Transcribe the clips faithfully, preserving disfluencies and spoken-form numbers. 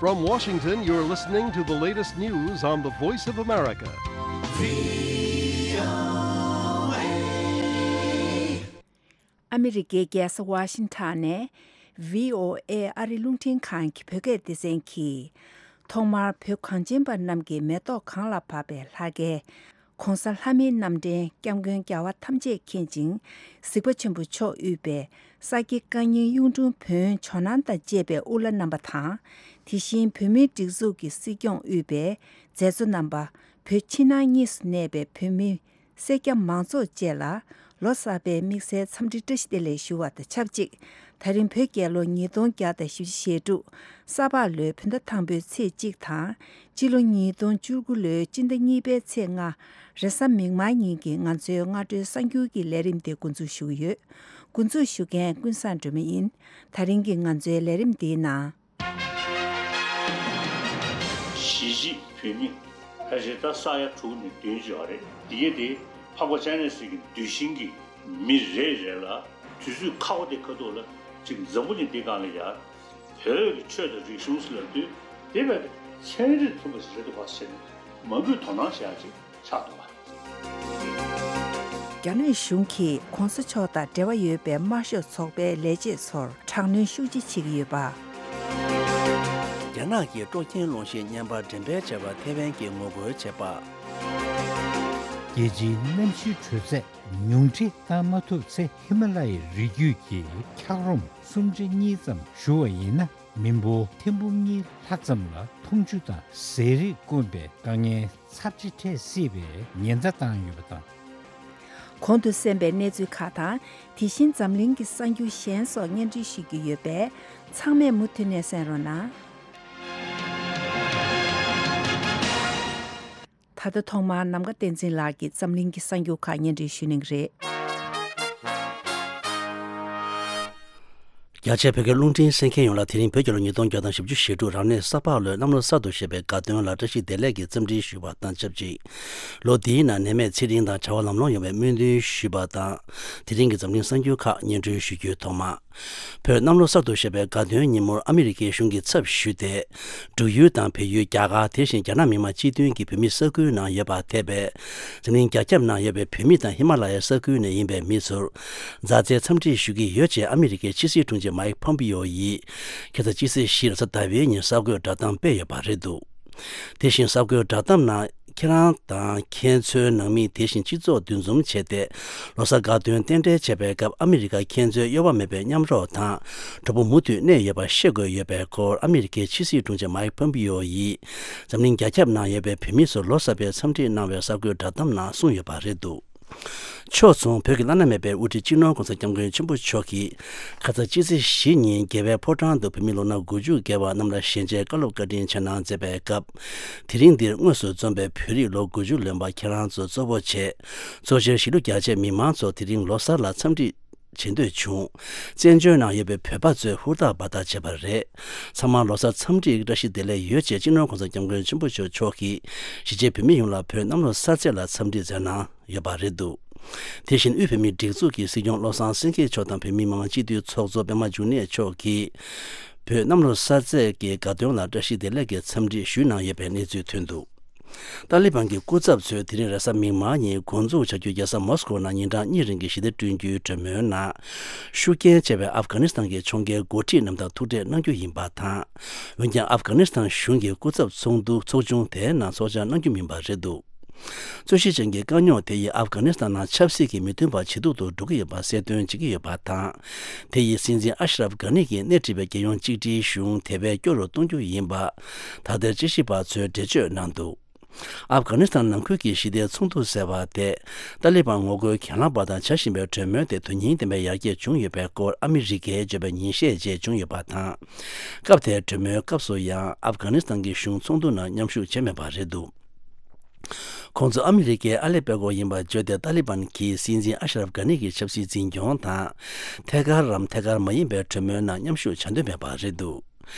From Washington, you're listening to the latest news on the Voice of America. ཨ་མི་རི་ཀའི་རྒྱལ་ས་ཝ་ཤིང་ཊོན་ནས་བྷི་ཨོ་ཨེ་ཨ་རིའི་རླུང་འཕྲིན་ཁང་གི་བོད་སྐད་སྡེ་ཚན་གྱིས། ཐོག་མར་བོད་གངས་ཅན་པ་རྣམས་ཀྱི་མེ་ཏོག་གངས་ལ་བབས་པའི་ལྷ་སྐལ་༸གོང་ས་ལྷ་མིའི་རྣམ་འདྲེན་༸སྐྱབས་མགོན་རྒྱལ་བ་ཐམས་ཅད་མཁྱེན་ཅིང་གཟིགས་པ་ཆེན་པོ་མཆོག་དབུས་པའི་ས་སྐྱ་བཀའ་རྙིང་གཡུང་དྲུང་བོན་ཇོ་ནང་དང་བཅས་པའི་དབུ་བླ་རྣམ་པ་དང་། དེ་བཞིན་བོད་མིའི་སྒྲིག་འཛུགས་ཀྱི་སྲིད་སྐྱོང་དབུས་པའི་མཛད་གཙོ་རྣམ་པ། བོད་ཕྱི་ནང་གཉིས་སུ་གནས་པའི་བོད་མི་སེར་སྐྱ་མང་ཚོགས་བཅས་ལ་ལོ་གསར་པའི་དམིགས་བསལ་འཚམས་འདྲི་བཀྲ་ཤིས་བདེ་ལེགས་ཞུ་བ་དང་ཆབས་ཅིག་ད་རིང་བོད་རྒྱལ་ལོ་ཉིས་སྟོང་བརྒྱ་དང་བཞི་བཅུ་ཞེ་དྲུག་ས་ཕག་ལོའི་བོད་ཟླ་དང་པོའི་ཚེས་གཅིག་དང་། སྤྱི་ལོ་ཉིས་སྟོང་བཅུ་དགུ་ལོའི་སྤྱི་ཟླ་གཉིས་པའི་ཚེས་ལྔ། རེས་གཟའ་མིག་དམར་ཉིན་གྱི་ང་ཚོའི་སྔ་དྲོའི་གསར་འགྱུར་གྱི་ལས་རིམ་དེ་འགོ་འཛུགས་ཞུ་གི་ཡོད། འགོ་འཛུགས་ཞུ་མཁན་ཀུན་བཟང་སྒྲོལ་མ་ཡིན། ད་རིང་གི་ང་ཚོའི་ལས་རིམ་འདིའི་ནང་། གཞིས་བྱེས་བོད་མི་ཕལ་ཆེར་ད་ས་ཡ་དྲུག་ནས་བདུན་ཅིག་ཡོད་རེད། འདི་གས་དེ་འཕགས་པ་སྤྱན་རས་གཟིགས་ཀྱི་གདུལ་ཞིང་གི་མི་རེ་རེ་ལ་དུས་ཚོད་ཁག་པོ་དེ་ཁ་ཐུག་ལ་ཅིག་འཛམ་བུ་གླིང་འདི་སྒང་ལ་ཡ་བོད་ཀྱི་ཆོས་དང་རིག་གཞུང་ཟེར་ལབ་དུས་དེ་བས་ཚན་རིག་མཐུན་པ་ཞིག་རེད་འདུག་ག་ཟེར་ནས་མང་པོས་དོ་སྣང་བྱེད་ཡ་ཅིག་ཆགས་འདུག་ག། རྒྱ་ནག་གཞུང་གིས་གོང་ས་མཆོག་དང་འབྲེལ་བ་ཡོད་པའི་དམར་ཤོག་ཚོགས་པའི་ལས་བྱེད་ཚོར་དྲག་གནོན་ཤུགས་ཆེ་བྱེད་ཀྱི་ཡོད་པ། རྒྱ་ནག་གིས་སྤྲོ་འཁྱེར་གློག་ཤིང་བརྙན་པར་འགྲེམས་སྤེལ་བྱས་པར་ཐེ་ཝན་གྱིས་ངོ་རྒོལ་བྱས་པ། རྒྱལ་སྤྱིའི་གནམ་གཤིས་དྲོད་ཚད་ཉུང་འཕྲི་བཏང་མ་ཐུབ་ཚེ། ཧི་མ་ལ་ཡའི་རི་རྒྱུད་ཀྱི་འཁྱགས་རོམ་སུམ་ཁྲི་གཉིས་ཙམ་ཞུ་བ་ཡིན་ན། མི་འབོར་ཐེར་འབུམ་གཉིས་ལྷག་ཙམ་ལ་འཐུང་ཆུ་དང་ཟས་རིགས་དཀོན་པའི་དཀའ་ངལ་ཚབས་ཆེ་འཕྲད་སྲིད་པའི་ཉེན་བརྡ་བཏང་ཡོད་པ་དང་། གོང་དུ་གསན་པའི་གནས་ཚུལ་ཁག་དང་། དེ་བཞིན་འཛམ་གླིང་གི་གསར་འགྱུར་གཞན་སོགས་སྙན་སྒྲོན་ཞུ་རྒྱུ་ཡོད་པས། ཚང་མས་མུ་མཐུད་ནས་གསན་རོགས་གནང་། ད་ལྟ་ཐོག་མར་ནམ་མཁའ་བསྟན་འཛིན་ལགས་ཀྱིས་འཛམ་གླིང་གི་གསར་འགྱུར་ཁག་སྙན་སྒྲོན་ཞུ་གནང་གི་རེད། རྒྱ་ཆེའི་བོད་སྐད་རླུང་འཕྲིན་གསན་མཁན་ཡོངས་ལ་དེ་རིང་བོད་རྒྱལ་ལོ་ཉིས་སྟོང་བརྒྱ་དང་བཞི་བཅུ་ཞེ་དྲུག་རབ་གནས་ས་ཕག་ལོའི་གནམ་ལོ་གསར་དུ་བཞད་པའི་དགའ་སྟོན་ལ་བཀྲ་ཤིས་བདེ་ལེགས་ཀྱི་འཚམས་འདྲི་ཞུ་བ་དང་ཆབས་ཅིག་ལོ་འདིའི་ནང་ནད་མེད་ཚེ་རིང་དང་བྱ་བ་ལམ་ལྷོང་ཡོང་བའི་སྨོན་འདུན་ཞུས་པ་དང་། དེ་རིང་གི་འཛམ་གླིང་གསར་འགྱུར་ཁག་སྙན་སྒྲོན་ཞུ་རྒྱུའི་ཐོག་མ། བོད་གནམ་ལོ་གསར་དུ་བཞད་པའི་དགའ་སྟོན་ཉིན་མོར་ཨ་མི་རི་ཀའི་གཞུང་གིས་ཚབ་ཞུས་ཏེ། འབྲུག་ཡུལ་དང་བལ་ཡུལ། རྒྱ་གར། དེ་བཞིན་རྒྱ་ནག་མི་དམངས་སྤྱི་མཐུན་གྱི་བོད་མིའི་ས་ཁུལ་ནང་ཡོད་པར་ཐེ་བའི་འཛམ་གླིང་རྒྱ་ཁྱབ་ནང་ཡོད་པའི་བོད་མི་དང་ཧི་མ་ལ་ཡའི་ས་ཁུལ་ནས་ཡིན་པའི་མི་ཚོར་མཛའ་བརྩེའི་འཚམས་འདྲི་ཞུ་གི་ཡོད་ཅེས་ཨ་མི་རི་ཀའི་ཕྱི་སྲིད་དྲུང་ཆེ་མའིག་ཕོམ་པིའོ་ཡིས་ཁ་སང་ཕྱི་ཚེས་བཞི་རེས་གཟའ་ཟླ་བའི་ཉིན་གསར་འགོད་བསྒྲགས་གཏམ་སྤེལ་ཡོད་པ་རེད་འདུག་དེ་བཞིན་གསར་འགོད་བསྒྲགས་གཏམ་ནང་། ཁྱེད་རང་དང་ཁྱེད་ཚོའི་ནང་མི། དེ་བཞིན་སྤྱི་ཚོགས་འདུ་འཛོམས་བྱས་ཏེ། ལོ་གསར་དགའ་སྟོན་རྟེན་འབྲེལ་བྱེད་པའི་སྐབས་ཨ་མི་རི་ཀ་ཁྱེད་ཚོའི་གཡོ་བ་མེད་པའི་མཉམ་རོགས་དང་གྲོགས་པོ་མུ་མཐུད་གནས་ཡོད་པ་ཤེས་དགོས་ཡོད་པའི་སྐོར་ཨ་མི་རི་ཀའི་ཕྱི་སྲིད་དྲུང་ཆེ་མའིག་ཕོམ་པིའོ་ཡིས་འཛམ་གླིང་རྒྱ་ཁྱབ་ནང་ཡོད་པའི་བོད་མི་ཚོར་ལོ་གསར་པའི་འཚམས་འདྲི་གནང་བའི་གསར་འགོད་བསྒྲགས་གཏམ་ནང་གསུངས་ཡོད་པ་རེད་འདུག་ཕྱོགས་མཚུངས་བོད་ཀྱི་བླ་ན་མེད་པའི་དབུ་ཁྲིད་སྤྱི་ནོར་༸གོང་ས་༸སྐྱབས་མགོན་ཆེན་པོ་མཆོག་གིས་ཁ་སང་ཕྱི་ཚེས་བཞི་ཉིན་རྒྱལ་བའི་ཕོ་བྲང་དུ་བོད་མི་ལོ་ན་དགུ་བཅུ་བརྒལ་བ་རྣམས་ལ་ཞལ་མཇལ་བཀའ་སློབ་བཀའ་དྲིན་ཆེ་གནང་མཛད་པའི་སྐབས། དེ་རིང་འདིར་དངོས་སུ་འཛོམས་པའི་བོད་རིགས་ལོ་དགུ་བཅུ་ལོན་པ་ཁྱེད་རང་ཚོ་གཙོ་བོ་བྱས། གཙོ་ཆེར་གཞིས་ལུས་རྒྱ་ཆེ་མི་མང་ཚོ་དེ་རིང་ལོ་གསར་ལ་འཚམས་འདྲི་བྱེད་འདོད་བྱུང་། བཙན་བྱོལ་ནང་ཡོད་པའི་བོད་པ་ཚོས་ཧུར་ཐག་འབད་ཐག་བྱས་པ་རེད། ཚང་མ་ལོ་གསར་འཚམས་འདྲིའི་བཀྲ་ཤིས་བདེ་ལེགས་ཡོད་ཅེས་སྤྱི་ནོར་༸གོང་ས་༸སྐྱབས་མགོན་ཆེན་པོ་མཆོག་མཆོག་གིས་གཞིས་བྱེས་བོད་མི་ཡོངས་ལ་བོད་གནམ་ལོ་གསར་ཚེས་ལ་འཚམས་འདྲི་མཛད་གནང་ཡོད་པ་རེད་འདུག་དེ་བཞིན་དབུས་བོད་མིའི་སྒྲིག་འཛུགས་ཀྱི་སྲིད་སྐྱོང་བློ་བཟང་སེང་གེ་མཆོག་དང་བོད་མི་མི་མང་སྤྱི་འཐུས་ཚོགས་གཙོ་པད་མ་འབྱུང་གནས་མཆོག་གིས་བོད་གནམ་ལོ་གསར་ཚེས་ཀྱི་དགའ་སྟོན་ལ་བཀྲ་ཤིས་བདེ་ལེགས་ཀྱི་འཚམས་འདྲི་ཞུས་གནང་ཡོད་པའི་གནས་ཚུལ་ཐོན་འདུག་ཏཱ་ལི་བན་གྱི་སྐུ་ཚབ་ཚོས་དེ་རིང་རེས་གཟའ་མིག་དམར་ཉིན་འགོ་འཛུགས་བྱ་རྒྱུའི་རྒྱལ་ས་མོ་སི་ཀོ་ནང་ཉིན་གྲངས་གཉིས་རིང་གི་ཞི་བདེ་བསྐྲུན་རྒྱུའི་གྲོས་མོལ་ནང་ཤུགས་རྐྱེན་ཆེ་བའི་ཨབ་གྷ་ནི་སི་ཐན་གྱི་ཕྱོགས་འགལ་འགོ་ཁྲིད་རྣམས་དང་ཐུག་འཕྲད་གནང་རྒྱུ་ཡིན་པ་དང་། འོན་ཀྱང་ཨབ་གྷ་ནི་སི་ཐན་གཞུང་གི་སྐུ་ཚབ་ཚོགས་འདུ་ཚོགས་ཆུང་དེའི་ནང་ཚོགས་བཅར་གནང་རྒྱུ་མིན་པ་རེད་འདུག་རྩོད་གཞི་ཅན་གྱི་དཀའ་རྙོག་དེ་ཡིས་ཨབ་གྷ་ནི་སི་ཐན་ནང་ཆབ་སྲིད་ཀྱི་མི་མཐུན་པ་ཇེ་སྡུག་ཏུ་འགྲོ་གི་ཡོད་པ་གསལ་སྟོན་བྱེད་ཀྱི་ཡོད་པ་དང་། དེ་ཡིས་སྲིད་འཛིན་ཨ་ཤ་རབ་གྷ་ནི་གིས་སྣེ་ཁྲིད་པའི་རྒྱལ་ཡོངས་གཅིག་སྒྲིལ་གཞུང་དེ་བས་སྐྱོ་རུ་གཏོང་རྒྱུ་ཡིན་པ། ད་ལྟའི་དཔྱད་ཞིབ་པ་ཚོས་འགྲེལ་བརྗོད་གནང་འདུག་ཨབ་གྷ་ནི་སི་ཐན་ནང་ཁུལ་གྱི་ཞི་བདེའི་ཚོགས་འདུ་ཟེར་བ་དེ། ཏཱ་ལི་བན་ངོ་རྒོལ་གྱེན་ལངས་པ་དང་བྱ་བཞིན་པའི་གྲོས་མོལ་དེ་དོན་སྙིང་ལྡན་པའི་ཡར་རྒྱས་བྱུང་ཡོད་པའི་སྐོར་ཨ་མི་རི་ཀས་བརྗོད་པ་ཉིན་ཤས་རྗེས་བྱུང་ཡོད་པ་དང་། སྐབས་དེའི་གྲོས་མོལ་སྐབས་སུ་ཡང་ཨབ་གྷ་ནི་སི་ཐན་གྱི་གཞུང་ཚོགས་འདུ་ནང་མཉམ་ཞུགས་བྱས་མེད་པ་རེད་འདུག་ཁོང་ཚོ་ཨ་མི་རི་ཀའི་ཨ་ལེ་པེ་ཀོ་ཡིན་པར་བརྗོད་དེ། ཏཱ་ལི་བན་གྱིས་སྲིད་འཛིན་ཨ་ཤ་རབ་གྷ་ནི་གི་ཆབ་སྲིད་འཛིན་སྐྱོང་དང་། ཐད་ཀར་རམ་ཐད་ཀར་མ་ཡིན་པའི་གྲོས་མོལ་ནང་མཉམ་ཞུགས་བྱ་འདོད་མེད་པ་རེད་འདུག་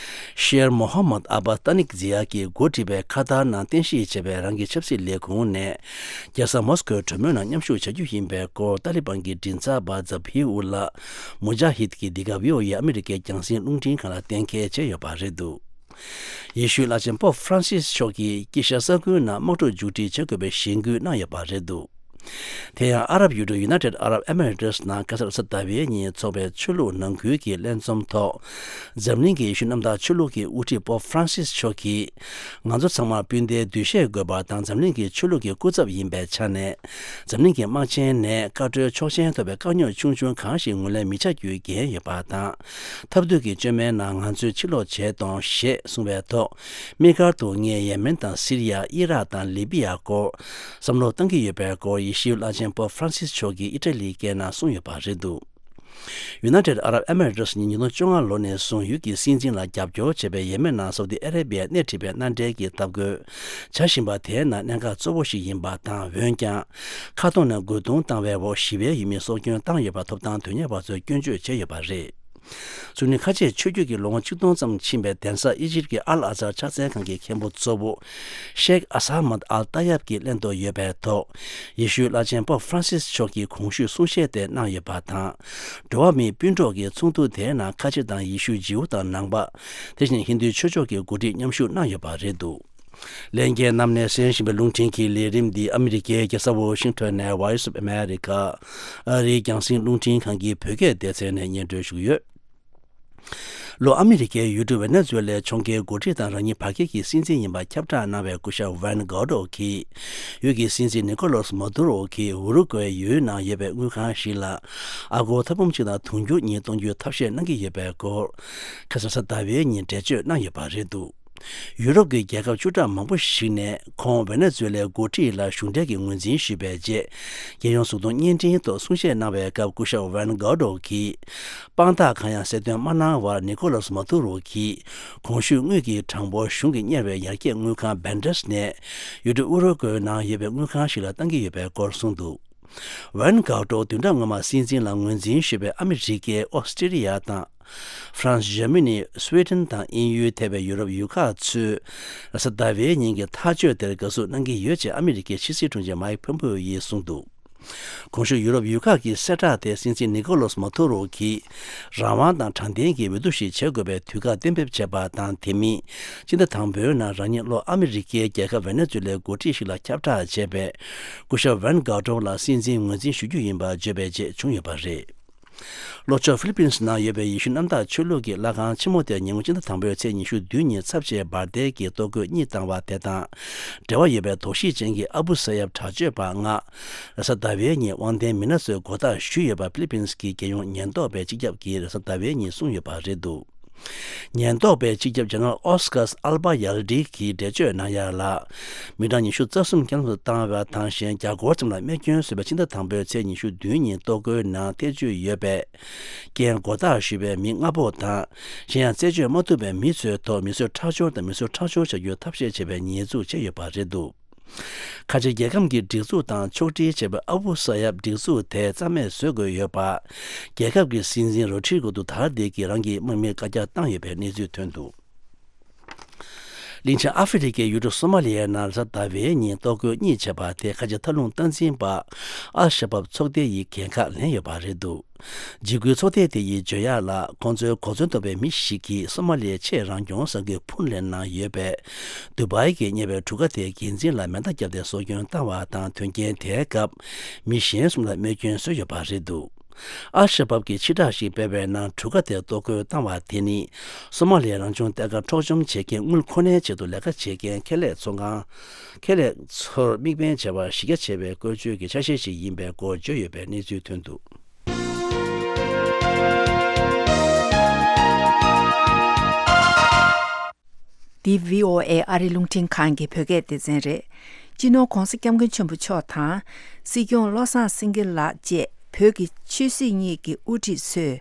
ཤེར་མོ་ཧམ་མད་ཨ་བ་ཏཱ་ནིག་ཛི་ཡ་གིས་འགོ་ཁྲིད་པའི་ཁ་ཐར་ནང་རྟེན་གཞི་བྱས་པའི་རང་གི་ཆབ་སྲིད་ལས་ཁུངས་ནས། རྒྱལ་ས་མོ་སི་ཀོའི་གྲོས་མོལ་ནང་མཉམ་ཞུགས་བྱ་རྒྱུ་ཡིན་པའི་སྐོར་ཏཱ་ལི་བན་གྱི་མགྲིན་ཚབ་པ་ཛ་བྷི་ཨུ་ལ་མུ་ཇཱ་ཧིད་ཀྱིས་འདི་ག་བྷི་ཨོ་ཨེ་ཨ་མི་རི་ཀའི་རྒྱང་སྲིང་རླུང་འཕྲིན་ཁང་ལ་གཏན་འཁེལ་བྱས་ཡོད་པ་རེད་འདུག་ཡེ་ཤུའི་བླ་ཆེན་པོབ་ཧྥ་རན་སིས་མཆོག་གིས་དཀྱིལ་ཤར་ས་ཁུལ་ནང་དམག་འཁྲུག་མཇུག་སྒྲིལ་བྱེད་དགོས་པའི་གཞེན་སྐུལ་གནང་ཡོད་པ་རེད་འདུག་དེ་ཡང་ཨ་རབ་ཡུལ་གྲུ་United Arab Emirates ནང་ཁ་སང་གཟའ་ཟླ་བའི་ཉིན་འཚོགས་པའི་ཆོས་ལུགས་ནང་ཁུལ་གྱི་ལྷན་འཛོམས་ཐོག་འཛམ་གླིང་གི་ཡེ་ཤུ་གནམ་བདག་ཆོས་ལུགས་ཀྱི་དབུ་ཁྲིད་པོབ་ཧྥ་རན་སིས་མཆོག་གིས། ང་ཚོ་ཚང་མ་སྤུན་ཟླའི་འདུ་ཤེས་དགོས་པ་དང་འཛམ་གླིང་གི་ཆོས་ལུགས་ཀྱི་སྐུ་ཚབ་ཡིན་པའི་ཆ་ནས། འཛམ་གླིང་གི་དམག་ཆེན་ནས་བཀའ་འཁྲོལ་ཆོག་མཆན་ཐོབ་པའི་དཀའ་རྙོག་ཆུང་ཆུང་གང་ཞིག་ངོས་ལེན་མི་བྱ་རྒྱུའི་འགན་ཡོད་པ་དང་། ཐབས་སྡུག་གི་བཅོས་མའི་ནང་ང་ཚོས་ཕྱིར་ལོག་བྱེད་གཏོང་ཞེས་གསུངས་པའི་ཐོག་དམིགས་བཀར་དུ་ངས་ཡེ་མེན་དང་སི་རི་ཡ། ཨི་རག་དང་ལི་བི་ཡ་སྐོར་བསམ་བློ་གཏང་གི་ཡོད་པའི་སྐོར་ཡེ་ཤུའི་བླ་ཆེན་པོབ་ཧྥ་རན་སིས་མཆོག་གིས་ཨི་ཊ་ལིའི་སྐད་ནང་གསུངས་ཡོད་པ་རེད་འདུག United Arab Emirates ནི་ཉིས་སྟོང་བཅོ་ལྔ་ལོ་ནས་བཟུང་ཡུལ་གྱི་སྲིད་འཛིན་ལ་རྒྱབ་སྐྱོར་བྱས་པའི་ཡེ་མེན་ནང་སའུ་དི་ཨ་རེ་བི་ཡས་སྣེ་ཁྲིད་པའི་མནའ་འབྲེལ་གྱི་འཐབ་རྒོལ་བྱ་བཞིན་པ་དེའི་ནང་གནད་འགག་གཙོ་བོ་ཞིག་ཡིན་པ་དང་། འོན་ཀྱང་། མཁའ་སྟོང་ནས་རྒོལ་རྡུང་བཏང་བའི་འོག་ཞི་བའི་ཡུལ་མིས་སྲོག་སྐྱོན་བཏང་ཡོད་པ་ཐོབ་ཐང་དོན་གཉེར་བ་ཚོས་སྐྱོན་བརྗོད་བྱས་ཡོད་པ་རེད། སུ་ནི་ཁ་ཆེའི་ཆོས་བརྒྱུད་ཀྱི་ལོ་ངོ་ཆིག་སྟོང་ཙམ་ཕྱིན་པའི་གདན་ས་ཨི་ཇིབ་ཀྱི་ཨལ་ཨ་ཛར་ཕྱག་འཚལ་ཁང་གི་མཁན་པོ་གཙོ་བོ་ཤེག་ཨ་ས་མད་ཨལ་ཏཱ་ཡབ་ཀྱི་སླེ་ཐོག་ཡོད་པའི་ཐོག་ཡེ་ཤུའི་བླ་ཆེན་པོབ་ཧྥ་རན་སིས་མཆོག་གིས་གོང་ཞུས་གསུང་བཤད་དེ་གནང་ཡོད་པ་དང་། འགྲོ་བ་མིའི་སྤུན་གྲོགས་ཀྱི་ཚོགས་འདུ་དེའི་ནང་ཁ་ཆེ་དང་ཡེ་ཤུ། ཇིའུ་དང་ནང་པ། དེ་བཞིན་ཧིན་རྡུའི་ཆོས་ཕྱོགས་ཀྱི་འགོ་ཁྲིད་མཉམ་ཞུགས་གནང་ཡོད་པ་རེད་འདུག་ལྷན་རྒྱས་རྣམས་ནས་གསན་བཞིན་པའི་རླུང་འཕྲིན་གྱི་ལས་རིམ་འདི་ཨ་མི་རི་ཀའི་རྒྱལ་ས་ཝོ་ཤིང་ཊོན་ནས་Voice of America ཨ་རིའི་རྒྱང་སྲིང་རླུང་འཕྲིན་ཁང་གི་བོད་སྐད་སྡེ་ཚན་ནས་སྙན་སྒྲོན་ཞུ་གི་ཡོད། ལྷོ་ཨ་མི་རི་ཀའི་ཡུལ་གྲུ་ཝེ་ནེ་ཛུ་ཝེ་ལའི་ཕྱོགས་འགལ་འགོ་ཁྲིད་དང་རང་ཉིད་བར་བརྒལ་གྱི་སྲིད་འཛིན་ཡིན་པ་ཁྱབ་བསྒྲགས་གནང་བའི་སྐུ་ཞབས་ཝན་གའོ་ཏོ་གིས། ཡུལ་གྱི་སྲིད་འཛིན་ནི་ཀོ་ལོ་སི་མ་དུ་རོ་གིས་ཨུ་རུ་ཀུའེ་ཡུལ་ནང་ཡོད་པའི་དངུལ་ཁང་ཞིག་ལ། ཨ་སྒོར་ཐེར་འབུམ་གཅིག་དང་དུང་ཕྱུར་གཉིས་གཏོང་རྒྱུའི་ཐབས་ཤེས་གནང་གི་ཡོད་པའི་སྐོར། ཁ་སང་གཟའ་ཟླ་བའི་ཉིན་འགྲེལ་བརྗོད་གནང་ཡོད་པ་རེད་འདུག་ཡུ་རོབ་ཀྱི་རྒྱལ་ཁབ་བཅུ་ཕྲག་མང་པོ་ཞིག་ནས་ཁོང་ཝེ་ནེ་ཛུ་ཝེ་ལའི་འགོ་ཁྲིད་ལ་གཞུང་འབྲེལ་གྱི་ངོས་འཛིན་ཞུས་པའི་རྗེས། རྒྱལ་ཡོངས་གཟུགས་མཐོང་བརྙན་འཕྲིན་ཐོག་གསུང་བཤད་གནང་བའི་སྐབས་སྐུ་ཞབས་ཝན་གའོ་ཏོ་གིས། དཔང་རྟགས་གང་ཡང་གསལ་སྟོན་མ་གནང་བར་ནི་ཀོ་ལོ་སི་མ་དུ་རོ་གིས། གོང་ཞུས་དངུལ་གྱི་གྲངས་འབོར་གཞུང་གིས་གཉེར་བའི་ཡར་རྒྱས་དངུལ་ཁང་བན་ཌེས་ནས། ཡུལ་གྲུ་ཨུ་རུ་ཀུའེ་ནང་ཡོད་པའི་དངུལ་ཁང་ཞིག་ལ་བཏང་གི་ཡོད་པའི་སྐོར་གསུངས་འདུག་ཝན་གའོ་ཏོ་བདུན་ཕྲག་སྔོན་མ་སྲིད་འཛིན་ལ་ངོས་འཛིན་ཞུས་པའི་ཨ་མི་རི་ཀའི་ཨོ་སི་ཀྲི་ལི་ཡ་དང་། ཧྥ་རན་སི། འཇར་མ་ནི། སུའེ་ཏན་དང་དབྱིན་ཡུལ་ཐེ་བའི་ཡུ་རོབ་ཡུལ་ཁག་ཚོས་གཟའ་ཟླ་བའི་ཉིན་གྱི་ཐག་གཅོད་དེར་དགའ་བསུ་གནང་གི་ཡོད་ཅེས་ཨ་མི་རི་ཀའི་ཕྱི་སྲིད་དྲུང་ཆེ་མཱིག་ཕོམ་པེ་ཡིས་གསུངས་འདུག་གོང་ཞུས་ཡུ་རོབ་ཡུལ་ཁག་གི་གསལ་བསྒྲགས་དེ་སྲིད་འཛིན་ནི་ཀོ་ལོ་སི་མ་དུ་རོ་གིས་རང་དབང་དང་དྲང་བདེན་གྱི་འོས་བསྡུ་ཞིག་བྱེད་དགོས་པའི་དུས་བཀག་གཏན་འབེབས་བྱས་པ་དང་། དེ་མིན་སྤྱི་ཟླ་དང་པོའི་ནང་རང་ཉིད་ལྷོ་ཨ་མི་རི་ཀའི་རྒྱལ་ཁབ་ཝེ་ནེ་ཛུ་ལའི་འགོ་ཁྲིད་ཞིག་ལ་ཁྱབ་བསྒྲགས་བྱས་པས། སྐུ་ཞབས་ཝན་གའོ་ཏོ་ལ་སྲིད་འཛིན་ངོས་འཛིན་ཞུ་རྒྱུ་ཡིན་པ་བརྗོད་པའི་རྗེས་བྱུང་ཡོད་པ་རེད། ལྷོ་ཕྱོགས་ཧྥི་ལི་པིན་སི་ནང་ཡོད་པའི་ཡེ་ཤུ་གནམ་བདག་ཆོས་ལུགས་ཀྱི་ལྷ་ཁང་ཆེན་མོ་དེར་ཉེ་སྔོན་སྤྱི་ཟླ་དང་པོའི་ཚེས་ཉི་ཤུ་བདུན་ཉིན་ཚབས་ཆེའི་འབར་མདེལ་གྱི་གཏོར་རྒོལ་གཉིས་བཏང་བ་དེ་དང་འབྲེལ་བ་ཡོད་པའི་དོགས་གཞི་ཅན་གྱི་ཨ་བུ་ས་ཡབ་དྲག་སྤྱོད་པ་ལྔ། རེས་གཟའ་ཟླ་བའི་ཉིན་དབང་ལྡན་མི་སྣ་ཚོས་མགོ་བཏགས་ཞུས་ཡོད་པ་ཧྥི་ལི་པིན་སི་གི་རྒྱལ་ཡོངས་ཉེན་རྟོག་པའི་སྤྱི་ཁྱབ་ཀྱིས་རེས་གཟའ་ཟླ་བའི་ཉིན་གསུངས་ཡོད་པ་རེད་འདུག་ཉེན་རྟོག་པའི་སྤྱི་ཁྱབ་ཇེ་ནེ་རལ་ཨོ་སི་ཀར་སི་ཨལ་བྷ་ཡལ་ཌི་གིས་འགྲེལ་བརྗོད་གནང་ཡག་ལ། མི་གྲངས་ཉི་ཤུ་རྩ་གསུམ་བསྐྱར་དུ་བཏང་བ་དང་། གཞན་བརྒྱ་སྐོར་ཙམ་ལ་རྨས་སྐྱོན་བཟོས་པའི་ཕྱི་ཟླ་དང་པོའི་ཚེས་ཉི་ཤུ་བདུན་ཉིན་གཏོར་རྒོལ་ནང་ཐེ་བྱུས་ཡོད་པའི་རྐྱེན་མགོ་བཏགས་ཞུས་པའི་མི་ལྔ་པོ་དང་། གཞན་ཡང་རྩད་གཅོད་མ་ཐུབ་པའི་མི་ཚོའི་ཐོག་མི་གསོད་ཁྲག་སྦྱོར་དང་མི་གསོད་ཁྲག་སྦྱོར་བྱ་རྒྱུའི་ཐབས་ཤེས་བྱས་པའི་ཉེས་འཛུགས་བྱས་ཡོད་པ་རེད་འདུག་ཁ་ཆེ་རྒྱལ་ཁམས་ཀྱི་སྒྲིག་འཛུགས་དང་ཕྱོགས་སྒྲིག་བྱས་པའི་ཨ་བུ་ས་ཡབ་སྒྲིག་འཛུགས་དེ་རྩ་མེད་བཟོ་དགོས་ཡོད་པ། རྒྱལ་ཁབ་ཀྱི་སྲིད་འཛིན་རོ་ཌི་རི་གོ་དུ་ཐར་ཏེ་གིས་རང་གི་དམག་མིར་བཀའ་རྒྱ་བཏང་ཡོད་པའི་གནས་ཚུལ་ཐོན་འདུག་གླིང་ཆེན་ཨ་ཧྥེ་རི་ཁའི་ཡུལ་གྲུ་སོ་མ་ལི་ཡའི་ནང་གཟའ་ཟླ་བའི་ཉིན་གཏོར་རྒོལ་གཉིས་བྱས་པ་དེ་ཁ་ཆེ་མཐའ་ལྷུང་སྟངས་འཛིན་པ་ཨལ་ཤ་བབ་ཚོགས་སྡེ་ཡིས་འགན་ཁག་ལེན་ཡོད་པ་རེད་འདུག་འཇིགས་སྐུལ་ཚོགས་སྡེ་དེ་ཡིས་བརྗོད་ཡག་ལ། ཁོང་ཚོའི་གོ་མཚོན་ཐོབ་པའི་མི་ཞིག་གིས་སོ་མ་ལི་ཡའི་ཆེས་རང་སྐྱོང་ས་ཁུལ་ཕུན་ལན་ནང་ཡོད་པའི་དུ་བའི་གིས་གཉེར་བའི་གྲུ་ཁ་དེའི་འགན་འཛིན་ལ་མེ་མདའ་བརྒྱབ་སྟེ་སྲོག་སྐྱོན་བཏང་བ་དང་། དོན་རྐྱེན་དེའི་སྐབས་མི་གཞན་གསུམ་ལ་རྨས་སྐྱོན་བཟོས་ཡོད་པ་རེད་འདུག་ཨལ་ཤ་བབ་ཀྱིས་ཕྱིར་བསྒྲགས་ཤིག་སྤེལ་བའི་ནང་། གྲུ་ཁ་དེར་གཏོར་རྒོལ་བཏང་བ་དེ་ནི་སོ་མ་ལི་ཡའི་རང་སྐྱོང་ལྟེ་ཁ་འཕྲོག་བཅོམ་བྱེད་མཁན་དངུལ་ཁོ་ནའི་ཆེད་དུ་ལས་ཀ་བྱེད་མཁན་ཁེ་ལས་ཚོང་ཁང་། ཁེ་ལས་ཚོར་དམིགས་འབེན་བྱས་པར་གཞི་རྒྱ་ཆེ་བའི་བཀོལ་སྤྱོད་ཀྱི་ཆ་ཤས་ཤིག་ཡིན་པའི་སྐོར་བརྗོད་ཡོད་པའི་གནས་ཚུལ་ཐོན་འདུག་འདི་བྷི་ཨོ་ཨེ་ཨ་རི་རླུང་འཕྲིན་ཁང་གི་བོད་སྐད་སྡེ་ཚན་རེད། སྤྱི་ནོར་༧གོང་ས་༧སྐྱབས་མགོན་ཆེན་པོ་མཆོག་དང་། སྲིད་སྐྱོང་བློ་བཟང་སེང་གེ་ལགས་བཅས་བོད་ཀྱི་ཆོས་སྲིད་གཉིས་ཀྱི་དབུ་ཁྲིད་ཚོས།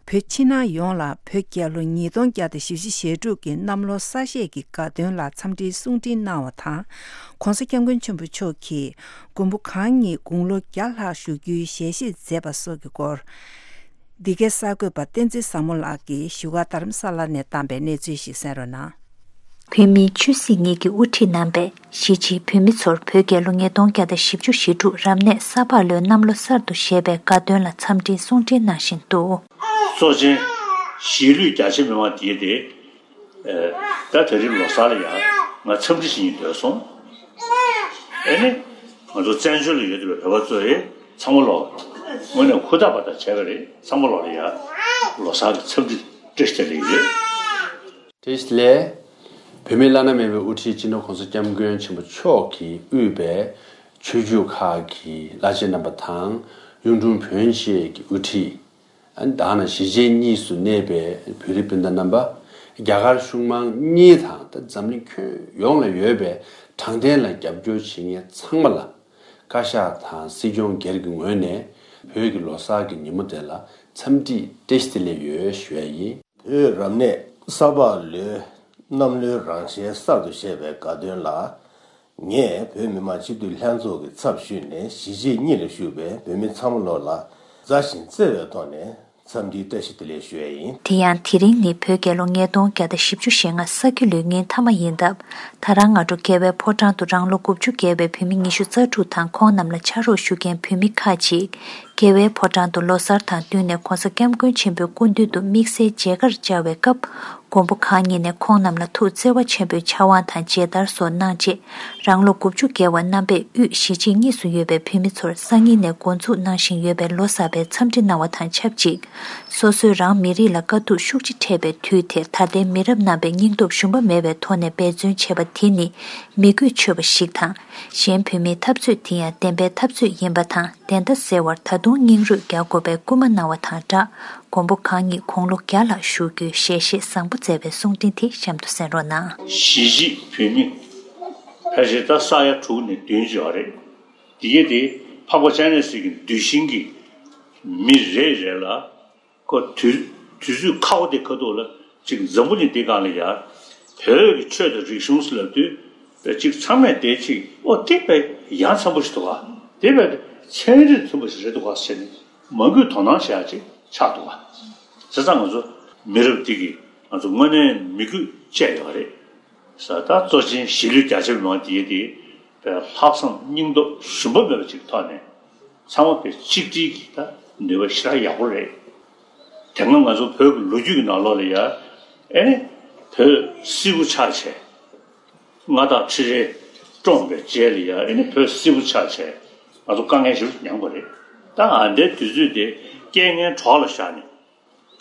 བོད་ཕྱི་ནང་ཡོངས་ལ་བོད་རྒྱལ་ལོ་ཉིས་སྟོང་བརྒྱ་དང་བཞི་བཅུ་ཞེ་དྲུག་གི་གནམ་ལོ་གསར་བཞད་ཀྱི་དགའ་སྟོན་ལ་འཚམས་འདྲིའི་གསུང་འཕྲིན་གནང་བ་དང་། ༧གོང་ས་༧སྐྱབས་མགོན་ཆེན་པོ་མཆོག་གིས་མགོན་པོ་གང་ཉིད་དགུང་ལོ་བརྒྱ་ལྷག་བཞུགས་རྒྱུའི་ཞལ་བཞེས་མཛད་པ་སོགས་ཀྱི་སྐོར། འདི་གའི་གསར་འགོད་པ་བསྟན་འཛིན་བཟང་མོ་ལགས་ཀྱིས་བཞུགས་སྒར་རྡ་རམ་ས་ལ་ནས་བཏང་པའི་གནས་ཚུལ་ཞིག་གསན་རོགས་གནང་། བོད་མིའི་ཆོས་སྲིད་གཉིས་ཀྱི་དབུ་ཁྲིད་རྣམ་པས་གཞིས་བྱེས་བོད་མི་ཚོར་བོད་རྒྱལ་ལོ་ཉིས་སྟོང་བརྒྱ་དང་བཞི་བཅུ་ཞེ་དྲུག་རབ་གནས་ས་ཕག་ལོའི་གནམ་ལོ་གསར་དུ་བཞད་པའི་དགའ་སྟོན་ལ་འཚམས་འདྲིའི་གསུང་འཕྲིན་གནང་བཞིན་འདུག་སྲོག་ཆེན་གཞིས་ལུས་རྒྱ་ཆེ་མི་དབང་དེ་སྟེ། ཨེ། ད་དེ་རིང་ལོ་གསར་ལ་ཡང་ང་འཚམས་འདྲི་ཞུ་སྙིང་འདོད་སོང་། ཨེ་ནི། ང་ཚོ་བཙན་བྱོལ་ལ་ཡོད་བསྡད་པའི་བོད་པ་ཚོ་ཡིས་ཚང་མ་ལོ། དངོས་གནས་ཧུར་ཐག་པ་ཐག་བྱས་པ་རེད། ཚང་མ་ལོ་ལ་ཡང་ལོ་གསར་གྱི་འཚམས་འདྲི་བཀྲ་ཤིས་བདེ་ལེགས་ཡོད། བཀྲ་ཤིས་བདེ་ལེགས། བོད་མིའི་བླ་ན་མེད་པའི་དབུ་ཁྲིད་སྤྱི་ནོར་༸གོང་ས་༸སྐྱབས་མགོན་ཆེན་པོ་མཆོག་གིས་དབུས་པའི་ཆོས་བརྒྱུད་ཁག་གི་བླ་ཆེན་རྣམ་པ་དང་། གཡུང་དྲུང་བོན་བཅས་ཀྱི་དབུ་ཁྲིད། དེ་ནས་གཞིས་བྱེས་གཉིས་སུ་གནས་པའི་བོད་རིགས་སྤུན་ཟླ་རྣམ་པ། རྒྱ་གར་གཞུང་མང་གཉིས་དང་། ད་འཛམ་གླིང་ཁྱོན་ཡོངས་ལ་ཡོད་པའི་དྲང་བདེན་ལ་རྒྱབ་སྐྱོར་བྱེད་མཁན་ཚང་མ་ལ། བཀའ་ཤག་དང་སྲིད་སྐྱོང་སྒེར་གྱི་ངོས་ནས་བོད་ཀྱི་ལོ་གསར་གྱི་ཉིན་མོ་དེ་ལ་འཚམས་འདྲི་བཀྲ་ཤིས་བདེ་ལེགས་ཡོད་ཞུ་ཡ་ཡིན། བོད་རབ་གནས་ས་ཕག་ལོའི་གནམ་ལོའི་རང་བཞིན་གསར་དུ་བཞད་པའི་དགའ་སྟོན་ལ། ངས་བོད་མི་མང་སྤྱི་འཐུས་ལྷན་ཚོགས་ཀྱི་ཚབ་ཞུས་ནས། གཞིས་བྱེས་གཉིས་ལ་བཞུགས་པའི་བོད་མི་ཚང་མ་ལོ་ལ་མཛའ་ཞིང་བརྩེ་བའི་ཐོག་ནས་འཚམས་འདྲིའི་བཀྲ་ཤིས་བདེ་ལེགས་ཞུ་ཡས་ཡིན། དེ་ཡང་དེ་རིང་ནི་བོད་རྒྱལ་ལོ་ཉིས་སྟོང་བརྒྱ་དང་བཞི་བཅུ་ཞེ་ལྔ་ས་ཁྱི་ལོའི་ཉིན་མཐའ་མ་ཡིན་སྟབས། ད་རང་སྔ་དྲོ་རྒྱལ་བའི་ཕོ་བྲང་དུ་རང་ལོ་དགུ་བཅུ་བརྒལ་བའི་བོད་མི་ཉི་ཤུ་རྩ་དྲུག་དང་། ཁོང་རྣམས་ལ་ཕྱག་རོགས་ཞུ་མཁན་བོད་མི་ཁག་ཅིག་རྒྱལ་བའི་ཕོ་བྲང་དུ་ལོ་གསར་དང་བསྟུན་ནས་༸གོང་ས་༸སྐྱབས་མགོན་ཆེན་པོའི་སྐུ་མདུན་དུ་དམིགས་བསལ་མཇལ་ཁར་བཅར་བའི་སྐབས། མགོན་པོ་གང་ཉིད་ནས་ཁོང་རྣམས་ལ་ཐུགས་བརྩེ་བ་ཆེན་པོས་ཕྱག་དབང་དང་མཇལ་དར་སོགས་གནང་རྗེས། རང་ལོ་དགུ་བཅུ་བརྒལ་བ་རྣམ་པས་དབུས་གཞིས་བྱེས་གཉིས་སུ་ཡོད་པའི་བོད་མི་ཚོར་སང་ཉིན་ནས་འགོ་འཛུགས་གནང་བཞིན་ཡོད་པའི་ལོ་གསར་པའི་འཚམས་འདྲི་གནང་བ་དང་ཆབས་ཅིག། སོ་སོའི་རང་མི་རིགས་ལ་དཀའ་སྡུག་ཤུགས་ཆེ་འཕྲད་པའི་དུས་དེར། ད་ལྟའི་མི་རབས་རྣམ་པས་སྙིང་སྟོབས་ཞུམ་པ་མེད་པའི་ཐོག་ནས་འབད་བརྩོན་བྱས་པ་དེ་ནི་མི་གོས་ཆོད་པ་ཞིག་དང་། གཞན་བོད་མིའི་འཐབ་རྩོད་དེ་ཡང་བདེན་པའི་འཐབ་རྩོད་ཡིན་པ་དང་། བདེན་མཐའ་གསལ་བར་ད་དུང་སྙིང་རུས་རྒྱག་དགོས་པའི་སྐུལ་མ་གནང་བ་དང་སྦྲགས། མགོན་པོ་གང་ཉིད་དགུང་ལོ་བརྒྱ་ལྷག་བཞུགས་རྒྱུའི་ཞལ་བཞེས་བཟང་པོ་མཛད་པའི་གསུང་འཕྲིན་དེ་གཤམ་དུ་གསན་རོགས་གནང་། གཞིས་བྱེས་བོད་མི་ཕལ་ཆེར་ད་ས་ཡ་དྲུག་ནས་བདུན་ཡོད་རེད། དེ་གས་དེ་འཕགས་པ་སྤྱན་རས་གཟིགས་ཀྱི་གདུལ་ཞིང་གི་མི་རེ་རེ་ལ། ཁོ་དུས་དུས་ཚོད་ཁག་པོ་དེ་ཁ་ཐུག་ལ་ཅིག་འཛམ་བུ་གླིང་འདི་སྒང་ལ་ཡ། བོད་ཀྱི་ཆོས་དང་རིག་གཞུང་ཟེར་ལབ་དུས། ཅིག་ཚང་མས་དེ་ཅིག་ཨོ་དེ་དཔེ་ཡ་མཚན་པོ་ཞིག་འདུག་ག། དེ་དཔེ་ཚན་རིག་མཐུན་པ་ཞིག་རེད་འདུག་ག་ཟེར་ནས་མང་པོས་དོ་སྣང་བྱེད་ཡ་ཅིག་ཆགས་འདུག་ག། བྱས་ཙང་ང་ཚོ་མི་རབས་འདི་གིས་ང་ཚོ་དངོས་གནས་མི་རྒྱུད་བཅད་ཡོད་རེད། ས་ད་གཙོ་ཆེན་གཞིས་ལུས་རྒྱ་ཆེ་མི་མང་དེ་དེ་ལྷག་བསམ་སྙིང་སྟོབས་ཞུམ་པ་མེད་པ་ཅིག་ཐོག་ནས། ཚང་མ་དཔེ་གཅིག་སྒྲིལ་གྱི་ད་ནུས་པ་ཞེ་དྲག་ཡག་པོ་རེད། དེ་སྔ་ང་ཚོ་བོད་ཀྱི་ལོ་རྒྱུས་ཀྱི་ནང་ལོགས་ལ་ཡ། ཨེ་ནི། བོད་སིལ་བུ་ཆགས་བྱས། མངའ་བདག་ཁྲི་རལ་བཀྲོངས་པའི་རྗེས་ལ་ཡ། ཨེ་ནི་བོད་སིལ་བུ་ཆགས་བྱས། ང་ཚོ་དཀའ་ངལ་ཞེ་པོ་མྱངས་པ་རེད། ད་ཨ་འདའི་དུས་ཚོད་དེ་རྐྱེན་ངན་གྲོགས་ལ་བཞག་ནས།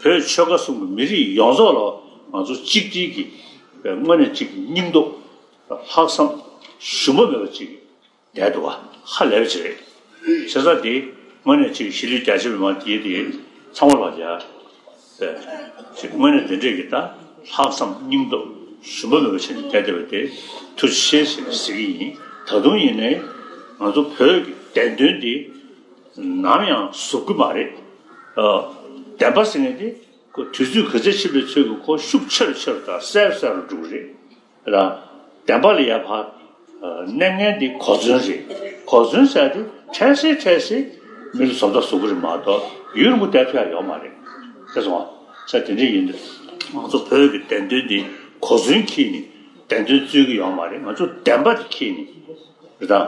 བོད་ཆོལ་ཁ་གསུམ་གྱི་མི་རིགས་ཡོངས་རྫོགས་ལ་ང་ཚོ་གཅིག་སྒྲིལ་གྱི་དངོས་གནས་གཅིག་སྙིང་སྟོབས་ལྷག་བསམ་ཞུམ་པ་མེད་པ་ཅིག་བསྡད་འདུག་ག། ཧ་ལས་པ་ཅིག་རེད། བྱས་ཙང་དེ་དངོས་གནས་ཅིག་གཞིས་ལུས་རྒྱ་ཆེ་མི་མང་དེ་དེ་ཚང་མ་ལ་ཡ། ཅིག་དངོས་གནས་དེ་འདྲས་ཀྱི་ད་ལྷག་བསམ་སྙིང་སྟོབས་ཞུམ་པ་མེད་པ་བྱས་ནས་བསྡད་བསྡད་པ་དེ་ཐུགས་རྗེ་ཆེ་ཞེས་ཟེར་གྱི་ཡིན། ད་དུང་ཡིན་ནའི་ང་ཚོ་བོད་ཀྱི་བདེན་དོན་དེ་ནམ་ཡང་ཟུབ་ཀྱི་མ་རེད། ཨ། བདེན་པ་ཟེར་མཁན་དེ་ཁོ་དུས་ཚོད་ག་ཚད་ཕྱིན་པའི་ཚོད་ཀྱིས་ཁོ་ཤུགས་ཆེ་རུ་ཆེ་རུ་དང་གསལ་རུ་གསལ་རུ་འགྲོ་གི་རེད། ར། བདེན་པ་ལ་ཡ་ཕར། ཨ། གནས་ངན་འདི་གོ་མཚོན་རེད། གོ་མཚོན་ཟེར་དེ་འཕྲལ་སེལ་འཕྲལ་སེལ་མི་ལ་བཟོ་ལྟ་བཟོ་གི་རེད་མ་གཏོགས་ཡུན་རིང་པོ་བསྡད་ཐུབ་ཡ་ཡོད་མ་རེད། ཤེས་སོང་ང་། ས་དེ་འདྲ་ཡིན་དུས་ང་ཚོ་བོད་ཀྱི་བདེན་དོན་འདི་གོ་མཚོན་འཁྱེར་ནས་བདེན་དོན་རྩོད་ཀྱི་ཡོད་མ་རེད། ང་ཚོ་བདེན་པ་དེ་འཁྱེར་ནས་རེད་ད།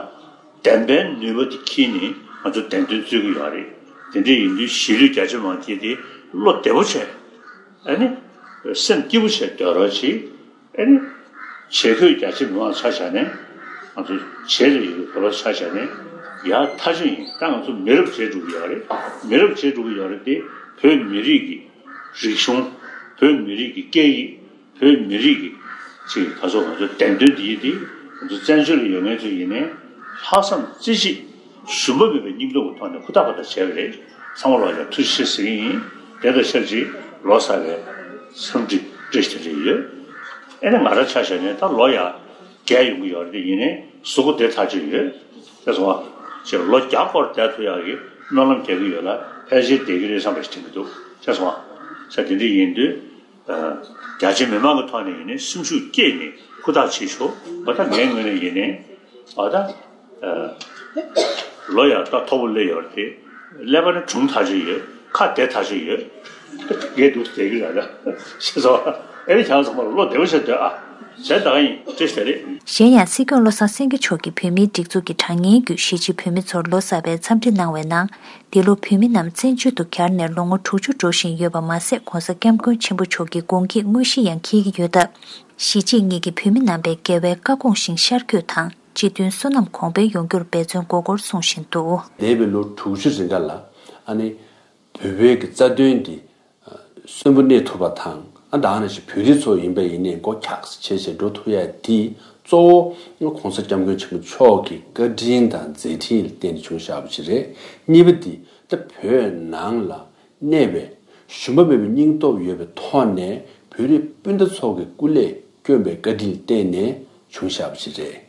བདེན་པའི་ནུས་པ་དེ་འཁྱེར་ནས་ང་ཚོ་བདེན་དོན་རྩོད་ཀྱི་ཡོད་རེད། དེ་འདྲ་ཡིན་དུས་གཞིས་ལུས་རྒྱ་ཆེ་མང་ཆེ་དེ་བློ་བདེ་པོ་བྱས། ཨ་ནི། སེམས་སྐྱིད་པོ་བྱས་སྡོད་རོགས་བྱེད། ཨེ་ནི། བྱེད་ཁོས་རྒྱ་ཆེ་མི་མང་ཆ་བཞག་ནས་ང་ཚོ་བྱེད་ལས་ཡོད་པའི་བོད་པ་ཆ་བཞག་ནས་ཡག་ཐག་ཆོད་ཡིན། ད་ང་ཚོ་མི་རབས་བྱེད་འགྲོ་གི་ཡོད་རེད། མི་རབས་བྱེད་འགྲོ་གི་ཡོད་རེད་དེ། བོད་མི་རིགས་ཀྱི་རིག་གཞུང་། བོད་མི་རིགས་ཀྱི་སྐད་ཡིག་བོད་མི་རིགས་ཀྱི་ཅིག་ད་ཚོ་ང་ཚོ་བདེན་དོན་འདི་ཡིན་ཏེ། ང་ཚོ་བཙན་བྱོལ་ལ་ཡོད་མཁན་ཚོ་ཡིན་ནའི་ལྷག་བསམ་རྩེ་གཅིག་ཞུམ་པ་མེད་པའི་སྙིང་སྟོབས་ཀྱི་ཐོག་ནས་ཧུར་ཐག་པ་ཐག་བྱས་པ་རེད། ཚང་མ་ལ་ཡང་ཐུགས་རྗེ་ཆེ་ཟེར་གྱི་ཡིན། དེ་དང་ཆབས་ཅིག་ལོ་གསར་བའི་འཚམས་འདྲི་བཀྲ་ཤིས་བདེ་ལེགས་ཡོད། ཨེ་ནི་ང་རང་ཆ་བཞག་ནས་ད་ལོ་ཡང་བརྒྱད་ཡོང་གི་ཡོད་རེད་དེ། ཡིན་ནའི་གཟུགས་པོ་བདེ་ཐག་ཆོད་ཡོད། ཤེས་སོང་ང་། ཅེས་ལོ་བརྒྱ་སྐོར་བསྡད་ཐུབ་ཡག་གི་སྨོན་ལམ་རྒྱག་གི་ཡོད་ལ། ཕལ་ཆེར་བསྡད་ཀྱི་རེད་བསམ་པ་ཞིག་དྲན་གྱི་འདུག། ཤེས་སོང་ང་། ས་དེ་འདྲ་ཡིན་དུས། རྒྱ་ཆེ་མི་མང་གི་ཐོག་ནས་ཡིན་ནའི་སེམས་ཤུགས་བསྐྱེད་ནས་ཧུར་ཐག་བྱེད་ཤོག། འོ་ད་ངའི་ངོས་ནས་ཡིན་ནའི་འོ་ད་ལོ་ཡང་ད་མཐོ་པོ་སླེབས་ཡོད་རེད་དེ། ཀླད་པ་ནི་གྲུང་ཐག་ཆོད་ཡོད། ཁ་བདེ་ཐག་ཆོད་ཡོད། ངས་འདུག་བསྡད་ཀྱི་རེད་ད། ཤེས་སོང་། ཨེ་རེད། ཁྱེད་ཚང་མ་བློ་བདེ་པོ་བྱས་སྡོད་ཨ། བྱས་ད་ག་ཡིན་བཀྲ་ཤིས་བདེ་ལེགས། གཞན་ཡང་སྲིད་སྐྱོང་བློ་བཟང་སེང་གེ་མཆོག་གིས་བོད་མིའི་སྒྲིག་འཛུགས་ཀྱི་དྲ་བརྙན་བརྒྱུད་གཞིས་བྱེས་བོད་མི་ཚོར་ལོ་གསར་པའི་འཚམས་འདྲི་གནང་བའི་ནང་། འདི་ལོ་བོད་མི་རྣམས་བཙན་བྱོལ་དུ་གྱར་ནས་ལོ་ངོ་དྲུག་ཅུ་འགྲོ་བཞིན་ཡོད་པ་མ་ཟད། ྋགོང་ས་ྋསྐྱབས་མགོན་ཆེན་པོ་མཆོག་གི་དགུང་སྐྱེས་དངོས་གཞི་ཡང་འཁེལ་གྱི་ཡོད་སྟབས། གཞིས་བྱེས་གཉིས་ཀྱི་བོད་མི་རྣམ་པས་རྒྱལ་བའི་བཀའ་དགོངས་བཞིན་ཤར་བསྐྱོད་དང་། སྤྱི་མཐུན་བསོད་ནམས་གོང་འཕེལ་ཡོང་རྒྱུར་འབད་བརྩོན་དགོས་སྐོར་གསུང་བཞིན་འདུག། འདས་པའི་ལོ་དྲུག་ཅུ་རིང་ག་ལ་ཨ་ནི་བོད་པའི་གི་རྩ་དོན་འདི་གསོན་པོ་གནས་ཐུབ་པ་དང་། ཨ་ད་ནང་བཞིན་བོད་རིགས་ཚོ་ཡིན་པ་ཡིན་ནའི་མགོ་འཁྱགས་སེ་བྱས་བྱས་འགྲོ་ཐུབ་ཡ་དེ་གཙོ་བོ་ྋགོང་ས་ྋསྐྱབས་མགོན་ཆེན་པོ་མཆོག་གི་བཀའ་དྲིན་དང་མཛད་འཕྲིན་ལ་བརྟེན་ནས་བྱུང་བཞག་པ་ཞིག་རེད། གཉིས་པ་འདི་ད་བོད་ནང་ལ་གནས་པའི་ཞུམ་པ་མེད་པའི་སྙིང་སྟོབས་ཡོད་པའི་ཐོག་ནས་བོད་རིགས་སྤུན་ཟླ་ཚོ་གི་སྐུ་ལས་བསྐྱོན་པའི་བཀའ་དྲིན་ལ་བརྟེན་ནས་བྱུང་བཞག་པ་ཞིག་རེད།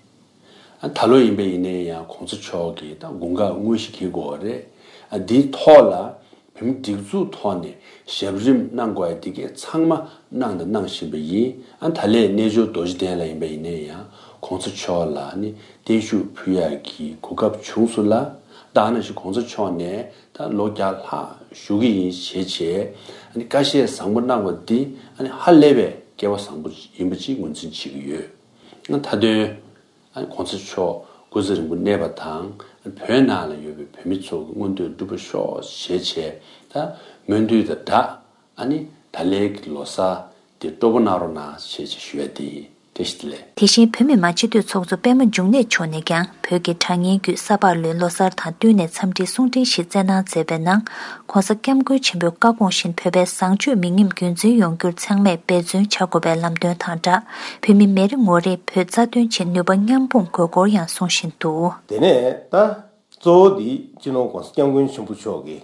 ཨ་ད་ལོ་ཡིན་པ་ཡིན་ནའི་ཡང་ྋགོང་ས་མཆོག་གིས་ད་དགུང་ཁ་དངོས་གཞི་འཁེལ་དགོས་པ་རེད། ཨ་འདིའི་ཐོག་ལ་བོད་མི་སྒྲིག་འཛུགས་ཐོག་ནས་ཞབས་རིམ་གནང་དགོས་ཡ་འདི་གའི་ཚང་མ་གནང་དང་གནང་བཞིན་པ་ཡིན། ཨ་ད་ལས་རྣལ་འབྱོར་རྡོ་རྗེ་གདན་ལ་ཡིན་པ་ཡིན་ནའི་ཡང་ྋགོང་ས་མཆོག་ལ་ནི་བརྟན་བཞུགས་ཕུལ་ཡ་གི་གོ་སྐབས་བྱུང་སོང་ལ། ད་ནང་བཞིན་ྋགོང་ས་མཆོག་ནས་ད་ལོ་བརྒྱ་ལྷག་བཞུགས་ཀྱི་ཡིན་ཞེས་བྱས་ཨ་ནི་བཀའ་བཤད་བཟང་པོ་གནང་བ་འདི་ཨ་ནི་ཧ་ལས་པའི་སྐལ་བ་བཟང་པོ་ཡིན་པ་ཅིག་ངོས་འཛིན་བྱེད་ཀྱི་ཡོད། ཨ་མཐའ་དོན། ཨ་ནི་ྋགོང་ས་མཆོག་སྐུ་ཚེ་རིང་པོ་གནས་པ་དང་། ཨ་ནི་བོད་ནང་ལ་ཡོད་པའི་བོད་མི་ཚོ་གི་མངོན་འདོད་འགྲུབ་པ་ཤོག་ཞེས་བྱས། ད་སྨོན་འདུན་དང་སྦྲགས་ཨ་ནི་ད་ལན་གྱི་ལོ་གསར་འདི་སྤྲོ་པོ་གནང་རོགས་གནང་ཞེས་བྱས་ཞུ་ཡ་དེ་ཡིན། བཀྲ་ཤིས་བདེ་ལེགས། དེ་བཞིན་བོད་མི་མང་སྤྱི་འཐུས་ཚོགས་གཙོ་པད་མ་འབྱུང་གནས་མཆོག་ནས་ཀྱང་བོད་ཀྱི་དྲ་བརྙན་བརྒྱུད་ས་ཕག་ལོའི་ལོ་གསར་དང་བསྟུན་ནས་འཚམས་འདྲིའི་གསུང་འཕྲིན་ཞིག་སྩལ་གནང་མཛད་པའི་ནང་། ྋགོང་ས་ྋསྐྱབས་མགོན་ཆེན་པོའི་བཀའ་དགོངས་བཞིན་བོད་པའི་བཟང་སྤྱོད་མི་ཉམས་རྒྱུན་འཛིན་ཡོང་རྒྱུར་ཚང་མས་འབད་བརྩོན་བྱ་དགོས་པའི་ལམ་སྟོན་དང་སྦྲགས། བོད་མི་མི་རེ་ངོ་རེས་བོད་རྩ་དོན་ཆེད་ནུས་པ་མཉམ་སྤུངས་དགོས་སྐོར་ཡང་གསུང་བཞིན་འདུག། དེ་ནས་ད་གཙོ་བོ་འདི་སྤྱི་ནོར་ྋགོང་ས་ྋསྐྱབས་མགོན་ཆེན་པོ་མཆོག་གི་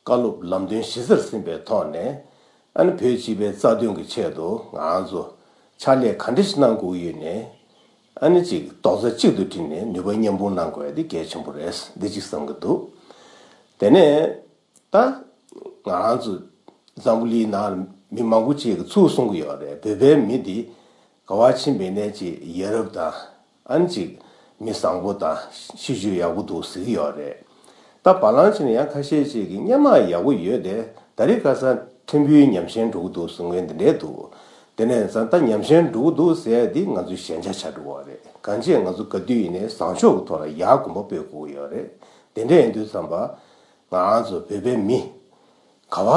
བཀའ་སློབ་ལམ་སྟོན་གཞི་རྩར་ཟིན་པའི་ཐོག་ནས། ཨ་ནི་བོད་སྤྱི་པའི་རྩ་དོན་གྱི་ཆེད་དུ་ང་རང་ཚོ་ཕྱག་ལས་ག་འདྲ་ཞིག་གནང་དགོས་ཡོད་ནས། ཨ་ནི་ཅིག་རྡོག་རྩ་གཅིག་ཏུ་བསྒྲིལ་ནས་ནུས་པ་མཉམ་སྤུངས་གནང་དགོས་ཡ་འདི་གལ་ཆེན་པོ་རེད། འདི་གཅིག་བསམ་གྱི་འདུག། དེ་ནས་ད་ང་རང་ཚོ་འཛམ་བུ་གླིང་ནང་མི་མང་པོ་ཅིག་གིས་ཚུར་གསུང་གི་ཡོད་རེད། བོད་པའི་མི་འདི་ག་བ་ཕྱིན་པ་ཡིན་ནའི་ཅིག་ཡ་རབས་དང་། ཨ་ནི་ཅིག་མི་བཟང་པོ་དང་ཤེས་རྒྱུད་ཡག་པོ་འདུག་ཟེར་གྱི་ཡོད་རེད། ད་བར་ལམ་ཕྱིན་ན་ཡང་ཁ་ཤས་ཅིག་གིས་སྔོན་མ་ཡག་པོ་ཡོད་དེ། ད་རེས་ཁ་སང་ཕྲན་བུ་ཉམས་ཞན་འགྲོ་གི་འདུག་གསུང་མཁན་དེ་འདྲས་འདུག། དེ་ནས་ད་ཉམས་ཞན་འགྲོ་གི་འདུག་ཟེར་ཡ་འདི་ང་ཚོའི་ཞན་ཆ་ཆགས་འགྲོ་གི་རེད། གང་ཅི་ང་ཚོ་ག་དུས་ཡིན་ནའི་བཟང་ཕྱོགས་ཀྱི་ཐོག་ལ་ཡར་གོམ་པ་སྤོས་དགོས་ཀྱི་ཡོད་རེད། དེ་འདྲས་ཡིན་དུས་ཙམ་པ་ང་རང་ཚོ་བོད་པའི་མི་ག་བ་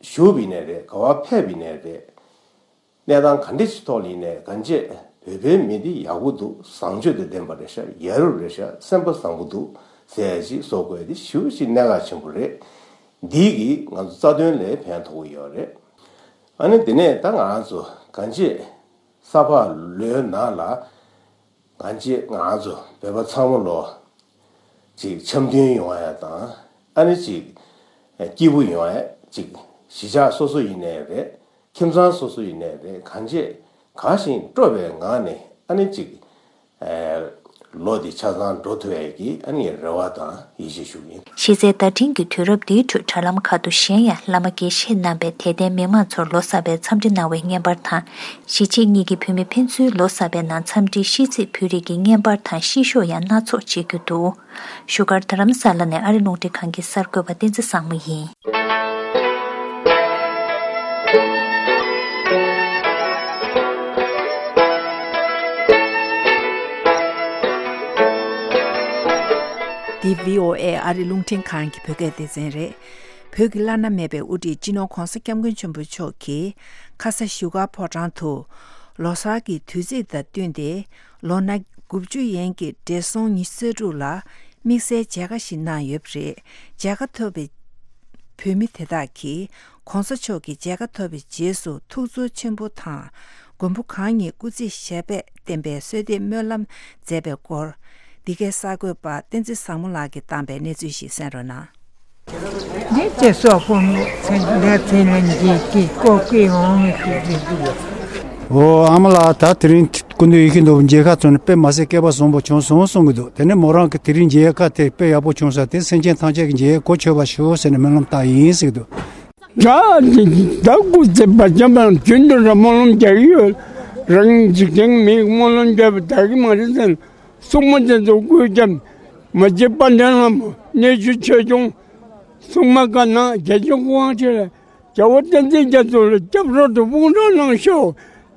བཞུགས་པ་ཡིན་ནའི་རེད། ག་བ་ཕེབས་པ་ཡིན་ནའི་རེད། གནས་སྟངས་ག་འདྲ་ཞིག་ཐོག་ལ་ཡིན་ནའི་གང་བྱས་བོད་པའི་མི་འདི་ཡག་པོ་འདུག། བཟང་སྤྱོད་དང་ལྡན་པ་རེད་ཤག། ཡ་རབས་རེད་ཤག། སེམས་པ་བཟང་པོ་འདུག་ཟེར་ཡ་ཞིག་བཟོ་དགོས་ཡ་འདི་ཞེ་པོ་ཅིག་གནད་འགག་ཆེན་པོ་རེད། འདི་གིས་ང་ཚོ་རྩ་དོན་ལ་ཕན་ཐོགས་ཀྱི་ཡོད་རེད། ཨ་ནི་དེ་ནས་ད་ང་རང་ཚོ་གང་བྱས་ས་ཕག་ལོའི་ནང་ལ་གང་བྱས་ང་རང་ཚོ་བོད་པ་ཚང་མ་ལོ་ཅིག་འཆམ་མཐུན་ཡོང་ཡ་དང་། ཨ་ནི་ཅིག་སྐྱིད་པོ་ཡོང་ཡ། ཅིག་གཞིས་ཆགས་སོ་སོ་ཡིན་ནའི་རེད། ཁྱིམ་ཚང་སོ་སོ་ཡིན་ནའི་རེད། གང་བྱས་དགའ་ཞིང་སྤྲོ་བའི་ངང་ནས་ཨ་ནི་ཅིག་ཨེ་ལོ་འདི་ཆ་ཚང་འགྲོ་ཐུབ་ཡ་གི་ཨ་ནི་རེ་བ་དང་ཡིད་ཆེས་ཞུ་གི་ཡིན། གཞིས་རྩེའི་བརྡ་འཕྲིན་གྱི་དུས་རབས་འདིའི་ཁྲོད་དྲ་ལམ་ཁག་ཏུ་གཞན་ཡང་བླ་མ་དགེ་བཤེས་རྣམ་པས་དད་ལྡན་མི་མང་ཚོར་ལོ་གསར་པའི་འཚམས་འདྲི་གནང་བའི་བརྙན་པར་དང་། གཞིས་བྱེས་གཉིས་ཀྱི་བོད་མི་ཕན་ཚུན་ལོ་གསར་པའི་ནང་འཚམས་འདྲིའི་ཤིས་ཚིག་ཕུལ་རིགས་ཀྱི་བརྙན་པར་དང་ཤིས་ཤོག་ཡང་སྣ་ཚོགས་མཇལ་རྒྱུ་འདུག། བཞུགས་སྒར་རྡ་རམ་ས་ལ་ནས་ཨ་རི་རླུང་འཕྲིན་ཁང་གི་གསར་འགོད་པ་བསྟན་འཛིན་བཟང་མོ་ཡིན། འདི་བྷི་ཨོ་ཨེ་ཨ་རི་རླུང་འཕྲིན་ཁང་གི་བོད་སྐད་སྡེ་ཚན་རེད། བོད་ཀྱི་བླ་ན་མེད་པའི་དབུ་ཁྲིད་སྤྱི་ནོར་ྋགོང་ས་ྋསྐྱབས་མགོན་ཆེན་པོ་མཆོག་གིས་ཁ་ས་བཞུགས་སྒར་ཕོ་བྲང་དུ་ལོ་གསར་གྱི་དུས་ཚིགས་དང་བསྟུན་ཏེ། ལོ་ན་དགུ་བཅུ་ཡན་གྱི་བགྲེས་སོང་ཉི་ཤུ་རྩ་དྲུག་ལ་དམིགས་བསལ་མཇལ་ཁ་ཞིག་གནང་ཡོད་པ་རེད། མཇལ་ཁ་ཐོབ་པའི་བོད་མི་དེ་དག་གིས་ྋགོང་ས་མཆོག་གི་མཇལ་ཁ་ཐོབ་པའི་རྗེས་སུ་ཐུགས་ཚོར་ཆེན་པོ་དང་། མགོན་པོ་གང་ཉིད་སྐུ་ཚེ་ཞབས་པད་བརྟན་པའི་གསོལ་འདེབས་སྨོན་ལམ་མཛད་པའི་སྐོར། འདི་གའི་གསར་འགོད་པ་བསྟན་འཛིན་བཟང་མོ་ལགས་ཀྱིས་བཏང་པའི་གནས་ཚུལ་ཞིག་གསན་རོགས་གནང་། འདི་ཚེ་སྲོག་ཕུང་ནས་ཚེ་འདས་ཚེ་ལས་འདས་ཀྱི་སྐུ་སྐྱེ་འོང་མི་ཞིག་རེད་འདུག། ཨོ་ཨ་མ་ལགས། ད་དེ་རིང་སྐུ་མདུན་ཡིད་བཞིན་ནོར་བུ་མཇལ་ཁ་བྱུང་ནས་དཔེ་མ་སྲིད་སྐལ་པ་བཟང་པོ་བྱུང་སོང་གསུང་གི་འདུག། དེ་ནས་མོ་རང་གིས་དེ་རིང་མཇལ་ཁ་དེ་དཔེ་ཡག་པོ་བྱུང་ས་དེ་སེམས་ཅན་ཐམས་ཅད་ཀྱི་མཇལ་ཁ་གོ་ཆོད་པ་ཞུ་ཟེར་ནས་སྨོན་ལམ་བཏང་ཡིན་ཟེར་གི་འདུག། ད་འདི་ད་སྐུ་ཚེ་བར་ཆད་པ་རྒྱུན་དུ་ར་སྨོན་ལམ་རྒྱག་གི་ཡོད། རང་འཇིག་རྟེན་མིའི་སྨོན་ལམ་རྒྱག་པ་དག་གི་མ་རེད་ཟེར། སྲུང་མ་དེ་ཚོ་སྐུ་རྒྱབ་མ་བྱེད་པ་འདྲ་ལ་མོ་གནས་ཆུ་ཆོས་སྐྱོང་སྲུང་མ་བཀའ་གནང་རྒྱལ་སྐྱོང་སྐུ་དབང་ཆེ་ལ་རྒྱལ་བ་བསྟན་འཛིན་རྒྱ་མཚོ་ལ་སྐྱབས་རོགས་དུ་དཔུང་གྲོགས་གནང་ཤོག།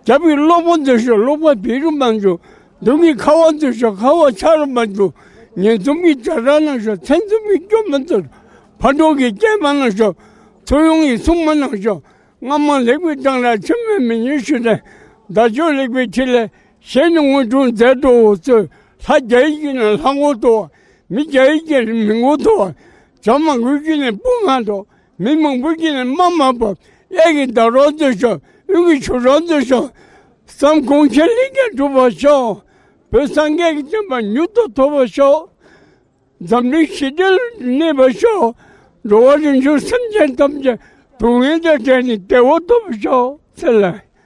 རྒྱབ་ཀྱི་གློ་བུར་དུ་ཤོག་གློ་བུར་བི་རུ་མ་འཇུ། མདུན་གྱི་ཁ་བ་དུ་ཤོག་ཁ་བ་ཆ་རུ་མ་འཇུ། ཉེ་འཛུམ་གྱི་དྲ་གྲགས་ནང་ཤོག་མཚན་འཛུམ་གྱི་སྐྱོ་མ་དུ། ཕ་འགྲོ་གི་སྐྱེས་མ་ནང་ཤོག་ཚུར་ཡོང་གི་སྲུང་མ་ནང་ཤོག་སྔ་མ་ལེགས་པའི་གདངས་ར་ཕྱི་མའི་མི་ཉུང་ཞུ་དེ། ད་ཆོས་ལེགས་པའི་ཁྲི་ལས། ཞེས་ནི་དངོས་གྲུབ་མཛད་དོ་ཚོས། ལྷ་རྒྱ་ཡི་གི་ནི་ལྷ་མགོ་ཐོག་མི་རྒྱ་ཡི་གི་ནི་མི་མགོ་ཐོག་བྱ་མང་པོའི་གི་ནི་སྤུ་ང་ཐོག་མི་མང་པོའི་གི་ནི་རྨ་མ་བབས། གཡས་ཀྱི་ཟླ་རོག་འདི་ཤོག་དབུས་ཀྱི་ཆུ་རོག་འདི་ཤོག་བསམ་དགོངས་ཆེན་ལེགས་བརྒྱ་འགྲུབ་པར་ཤོག་བོད་སངས་རྒྱས་ཀྱི་བསྟན་པ་མྱུར་དུ་ཐོབ་པར་ཤོག་འཛམ་གླིང་ཞི་བདེ་ལ་གནས་པར་ཤོག་འགྲོ་བ་རིགས་དྲུག་སེམས་ཅན་ཐམས་ཅད་སྡུག་བསྔལ་དང་བྲལ་ནས་བདེ་བ་ཐོབ་པར་ཤོག་ཟེར་ལ།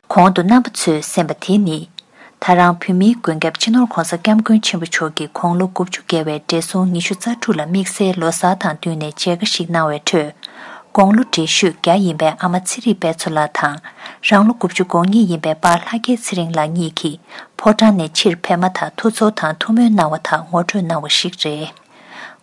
གོང་དུ་རྣམ་པ་ཚོས་གསན་པ་དེ་ནི། ད་རང་བོད་མིའི་མགོན་སྐྱབས་སྤྱི་ནོར་༧གོང་ས་༧སྐྱབས་མགོན་ཆེན་པོ་མཆོག་གིས་དགུང་ལོ་དགུ་བཅུ་བརྒལ་བའི་བགྲེས་སོང་ཉི་ཤུ་རྩ་དྲུག་ལ་དམིགས་བསལ་ལོ་གསར་དང་བསྟུན་ནས་མཇལ་ཁ་ཞིག་གནང་བའི་ཁྲོད། དགུང་ལོ་བགྲེས་ཤོས་བརྒྱ་ཡིན་པའི་ཨ་མ་ཚེ་རིང་དཔལ་འཚོ་ལགས་དང་། རང་ལོ་དགུ་བཅུ་གོ་གཉིས་ཡིན་པའི་པཱ་ལྷ་སྐལ་ཚེ་རིང་ལགས་གཉིས་ཀྱིས་ཕོ་བྲང་ནས་ཕྱིར་ཕེབས་མ་ཐག་ཐུགས་ཚོར་དང་ཐུགས་སྨོན་གནང་བ་དག་ངོ་སྤྲོད་གནང་བ་ཞིག་རེད།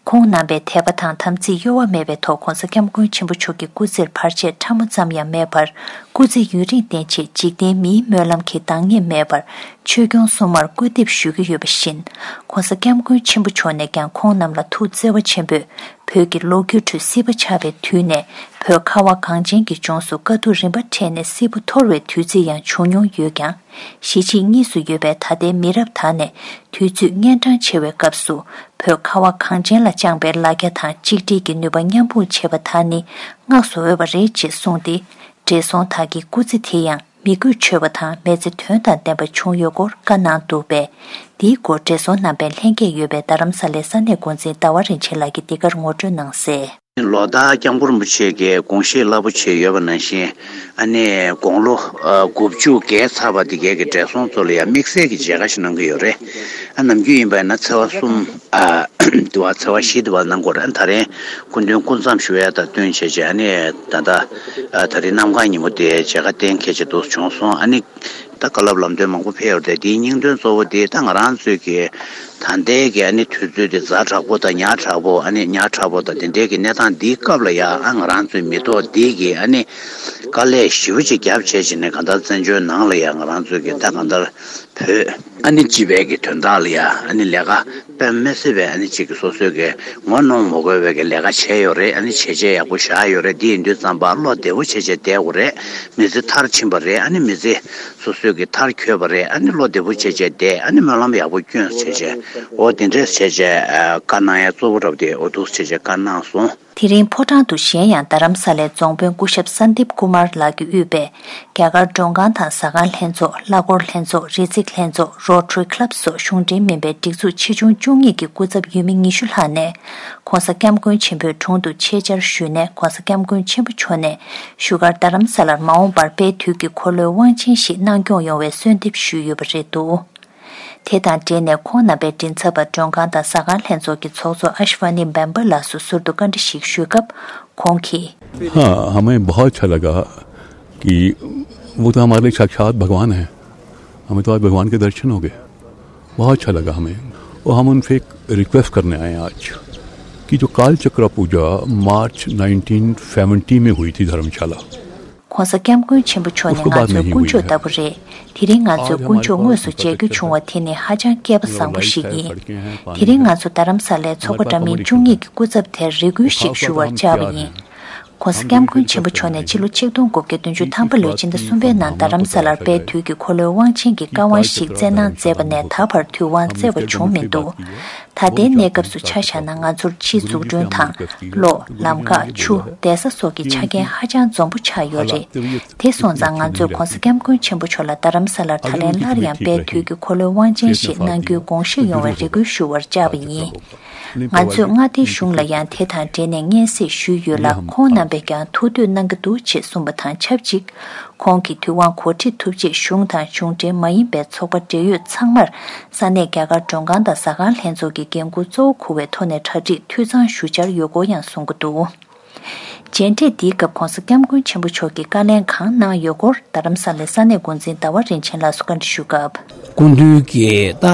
ཁོང་རྣམ་པས་དད་པ་དང་དམ་ཚིག་གཡོ་བ་མེད་པའི་ཐོག་༧གོང་ས་༧སྐྱབས་མགོན་ཆེན་པོ་མཆོག་གི་སྐུ་ཚེར་བར་ཆད་ཕྲ་མོ་ཙམ་ཡང་མེད་པར། སྐུ་ཚེ་ཡུན་རིང་བརྟན་ཆེད་འཇིག་རྟེན་མིའི་སྨོན་ལམ་གྱི་འདང་ངེས་མེད་པར་ཆོས་སྐྱོང་སྲུང་མར་སྐུལ་འདེབས་ཞུ་གི་ཡོད་པ་བཞིན། ༸གོང་ས་༸སྐྱབས་མགོན་ཆེན་པོ་མཆོག་ནས་ཀྱང་ཁོང་རྣམས་ལ་ཐུགས་བརྩེ་བ་ཆེན་པོས། བོད་ཀྱི་ལོ་རྒྱུས་ཁྲོད་སྲིད་པ་ཆགས་པའི་དུས་ནས། བོད་ཁ་བ་གངས་ཅན་གྱི་ལྗོངས་སུ་དཀའ་སྡུག་རིམ་པ་འཕྲད་ནས་སྲིད་པ་འཐོར་བའི་དུས་ཚིགས་ཡང་བྱུང་མྱོང་ཡོད་ཀྱང་། གཞིས་བྱེས་གཉིས་སུ་ཡོད་པའི་ད་ལྟའི་མི་རབས་དག་ནས་དུས་ཚོད་གཉན་འཕྲང་ཆེ་བའི་སྐབས་སུ། བོད་ཁ་བ་གངས་ཅན་ལ་བཅངས་པའི་ལ་རྒྱ་དང་གཅིག་སྒྲིལ་གྱི་ནུས་པ་མཉམ་སྤུངས་བྱེད་པ་དག་ནི་བསྔགས་སུ་འོས་པ་རེད་ཅེས་གསུངས་ཏེ། བགྲེས་སོང་དག་གི་སྐུ་ཚེ་དེ་ཡང་མི་རྒུད་ཆོད་པ་དང་མི་ཚེ་དོན་དང་ལྡན་པ་བྱུང་ཡོད་སྐོར་བཀའ་གནང་འདུག་པས། འདིའི་སྐོར་བགྲེས་སོང་རྣམ་པས་ལྷན་རྒྱས་ཡོད་པའི་རྡ་རམ་ས་ལའི་ས་གནས་འགོ་འཛིན་ཟླ་བ་རིན་ཆེན་ལགས་ཀྱིས་འདི་གར་ངོ་སྤྲོད་གནང་གསལ། ལོ་ལྟར་སྐྱབས་མགོན་རིན་པོ་ཆེ་གི་དགོངས་བཞེད་རླབས་པོ་ཆེ་ཡོད་པ་ནང་བཞིན། ཨ་ནི་དགུང་ལོ་དགུ་བཅུ་བརྒལ་ཚར་བ་དེ་གའི་གི་བགྲེས་སོང་ཚོ་ལ་ཡང་དམིགས་བསལ་གྱི་མཇལ་ཁ་ཞིག་གནང་གི་ཡོད་རེད། ཨ་ནམ་རྒྱུན་ཡིན་པ་ཡིན་ན་ཚེས་པ་གསུམ། ཨ་དུ་བ་ཚེས་པ་བཞི་དུ་བ་གནང་དགོས་རེད། ཨ་ད་རེས་སྐུ་མདུན་སྐུ་མཚམས་ཞུ་ཡ་དང་བསྟུན་བྱས་བྱས་ཨ་ནི་ད་ལྟ་ཨ་ད་རེས་གནམ་གང་ཉིན་མོ་དེ་མཇལ་ཁ་གཏན་འཁེལ་བྱས་འདུག་བྱུང་སོང་། ཨ་ནི། ད་བཀའ་སློབ་ལམ་སྟོན་མང་པོ་ཕེབས་ཡོད་རེད་དེ། དེའི་སྙིང་དོན་གཙོ་བོ་དེ་ད་ང་རང་ཚོའི་གི་ད་ལྟའི་གི་ཨ་ནི་དུས་ཚོད་དེ་ཛ་དྲག་པོ་དང་ཉག་ཕྲ་པོ། ཨ་ནི་ཉག་ཕྲ་པོ་དང་དེ་འདྲའི་གི་གནས་སྟངས་འདིའི་སྐབས་ལ་ཡ། ཨ་ང་རང་ཚོའི་མི་ཐོག་འདི་གི་ཨ་ནི་དཀའ་ལས་ཞེ་པོ་ཅིག་བརྒྱབ་བྱས་བྱས་ནས་གང་ལྟར་བཙན་བྱོལ་ནང་ལ་ཡ་ང་རང་ཚོའི་གི་ད་གང་ལྟར་བོད་ཨ་ནི་སྤྱི་པའི་གི་དོན་དག་ལ་ཡ་ཨ་ནི་ལས་ཀ་དཔེ་མི་སྲིད་པའི་ཨ་ནི་ཅིག་གི་སོ་སོའི་གི་ངོ་གནོང་མ་དགོས་པའི་གི་ལས་ཀ་བྱས་ཡོད་རེད། ཨ་ནི་བྱས་རྗེས་ཡག་པོ་བཞག་ཡོད་རེད། དེ་ཡིན་དུས་ཙམ་པ་བློ་བདེ་པོ་བྱས་བྱས་བསྡད་དགོས་རེད། མི་ཚེ་མཐར་ཕྱིན་པ་རེད། ཨ་ནི་མི་ཚེ་སོ་སོའི་གི་མཐར་འཁྱོལ་བ་རེད། ཨ་ནི་བློ་བདེ་པོ་བྱས་བྱས་བསྡད། ཨ་ནི་སྨོན་ལམ་ཡག་པོ་སྐྱོན་བྱས་བྱས། འོ་དེ་འདྲས་བྱས་བྱས་བཀའ་གནང་ཡ་གཙོ་བོ་འདྲ་པོ་དེ་འོ་འདུག་བྱས་བྱས་བཀའ་གནང་སོང་། དེ་རིང་ཕོ་བྲང་དུ་གཞན་ཡང་རྡ་རམ་ས་ལའི་རྫོང་དཔོན་སྐུ་ཞབས་སན་དིབ་ཀུ་མར་ལགས་ཀྱིས་དབུས་པའི་རྒྱ་གར་མགྲོན་ཁང་དང་ཟ་ཁང་ལྷན་ཚོགས། གླ་འཁོར་ལྷན་ཚོགས། རི་འཛེག་ལྷན་ཚོགས། Rotary Club སོགས་གཞུང་འབྲེལ་མིན་པའི་སྒྲིག་འཛུགས་ཆེ་ཆུང་བཅུ་གཉིས་ཀྱི་སྐུ་ཚབ་ཡུལ་མི་ཉི་ཤུ་ལྷག་ནས། ྋགོང་ས་ྋསྐྱབས་མགོན་ཆེན་པོའི་དྲུང་དུ་ཆེད་བཅར་ཞུས་ནས་ྋགོང་ས་ྋསྐྱབས་མགོན་ཆེན་པོ་མཆོག་ནས་བཞུགས་སྒར་རྡ་རམ་ས་ལར་མ་འོངས་པར་དཔལ་དུས་ཀྱི་འཁོར་ལོའི་དབང་ཆེན་ཞིག་གནང་སྐྱོང་ཡོང་བའི་གསོལ་འདེབས་ཞུས་ཡོད་པ་རེད་འདུག་དེ་དང་འབྲེལ་ནས་ཁོང་རྣམ་པའི་མགྲིན་ཚབ་པ་མགྲོན་ཁང་དང་ཟ་ཁང་ལྷན་ཚོགས་ཀྱི་ཚོགས་གཙོ་ཨ་ཤི་ཝ་ནི་བེམ་བ་ལགས་སུ་ཟུར་དུ་བཀའ་འདྲི་ཞིག་ཞུས་སྐབས་ཁོང་གིས། हाँ, हमें बहुत अच्छा लगा कि वो तो हमारे लिए साक्षात भगवान है। हमें तो आज भगवान के दर्शन हो गए। बहुत अच्छा लगा हमें। और हम उनसे एक रिक्वेस्ट करने आए हैं आज कि जो काल चक्र पूजा मार्च नाइनटीन सेवेंटी में हुई थी धर्मशाला, ྋགོང་ས་ྋསྐྱབས་མགོན་ཆེན་པོ་མཆོག་ནི་ང་ཚོའི་དཀོན་མཆོག་ལྟ་བུ་རེད། དེ་རིང་ང་ཚོས་དཀོན་མཆོག་དངོས་སུ་མཇལ་རྒྱུ་བྱུང་བ་དེ་ནི་ཧ་ཅང་སྐལ་པ་བཟང་པོ་ཞིག་ཡིན། དེ་རིང་ང་ཚོ་རྡ་རམ་ས་ལའི་ཚོགས་པ་འདྲ་མིན་བཅུ་གཉིས་ཀྱི་སྐུ་ཚབ་དེར་རེ་སྐུལ་ཞིག་ཞུ་བར་བཅར་བ་ཡིན། ྋགོང་ས་ྋསྐྱབས་མགོན་ཆེན་པོ་མཆོག་ནས་ཕྱི་ལོ་ཆིག་སྟོང་དགུ་བརྒྱ་བདུན་ཅུ་ཐམ་པ་ལོའི་ཕྱི་ཟླ་གསུམ་པའི་ནང་རྡ་རམ་ས་ལར་དཔལ་དུས་ཀྱི་འཁོར་ལོའི་དབང་ཆེན་གྱི་བཀའ་དབང་ཞིག་སྩལ་གནང་མཛད་པ་ནས་ད་བར་དུས་དབང་སྩལ་བ་བྱུང་མི་འདུག་ད་ལྟའི་གནས་སྐབས་སུ་ཆ་བཞག་ན་ང་ཚོར་ཕྱིའི་འཛུགས་སྐྲུན་དང་། གློག་ལམ་ཁ། ཆུ། བསྡད་ས་སོགས་ཀྱི་ཆ་རྐྱེན་ཧ་ཅང་འཛོམས་པོ་ཆགས་ཡོད་རེད། དེ་སོང་ཙང་ང་ཚོས་ྋགོང་ས་ྋསྐྱབས་མགོན་ཆེན་པོ་མཆོག་ལ་རྡ་རམ་ས་ལར་ད་ལན་སླར་ཡང་དཔལ་དུས་ཀྱི་འཁོར་ལོའི་དབང་ཆེན་ཞིག་གནང་རྒྱུའི་དགོངས་བཞེས་ཡོང་བའི་རེ་སྐུལ་ཞུ་བར་བཅར་བ་ཡིན། ང་ཚོས་མངའ་སྡེའི་གཞུང་ལ་ཡང་དེ་དང་འབྲེལ་ནས་སྙན་སེང་ཞུས་ཡོད་ལ། ཁོང་རྣམ་པས་ཀྱང་ཐུགས་འདོད་གནང་གི་འདུག་ཅེས་གསུངས་པ་དང་ཆབས་ཅིག་ཁོང་གིས་དུས་དབང་གོ་སྒྲིག་ཐུབ་ཆེད་གཞུང་དང་གཞུང་འབྲེལ་མ་ཡིན་པའི་ཚོགས་པ་འབྲེལ་ཡོད་ཚང་མར་ས་གནས་རྒྱ་གར་མགྲོན་ཁང་དང་ཟ་ཁང་ལྷན་ཚོགས་ཀྱི་འགན་འཁུར་གཙོ་བོ་འཁུར་བའི་ཐོག་ནས་གྲ་སྒྲིག་འཐུས་ཚང་ཞུ་འཆར་ཡོད་སྐོར་ཡང་གསུང་གི་འདུག་མཇལ་འཕྲད་འདིའི་སྐབས་ྋགོང་ས་ྋསྐྱབས་མགོན་ཆེན་པོ་མཆོག་གིས་བཀའ་ལན་གང་གནང་ཡོད་སྐོར་རྡ་རམ་ས་ལའི་ས་གནས་འགོ་འཛིན་ཟླ་བ་རིན་ཆེན་ལགས་སུ་བཀའ་འདྲི་ཞུས་སྐབས། སྐུ་མདུན་གྱི་ད་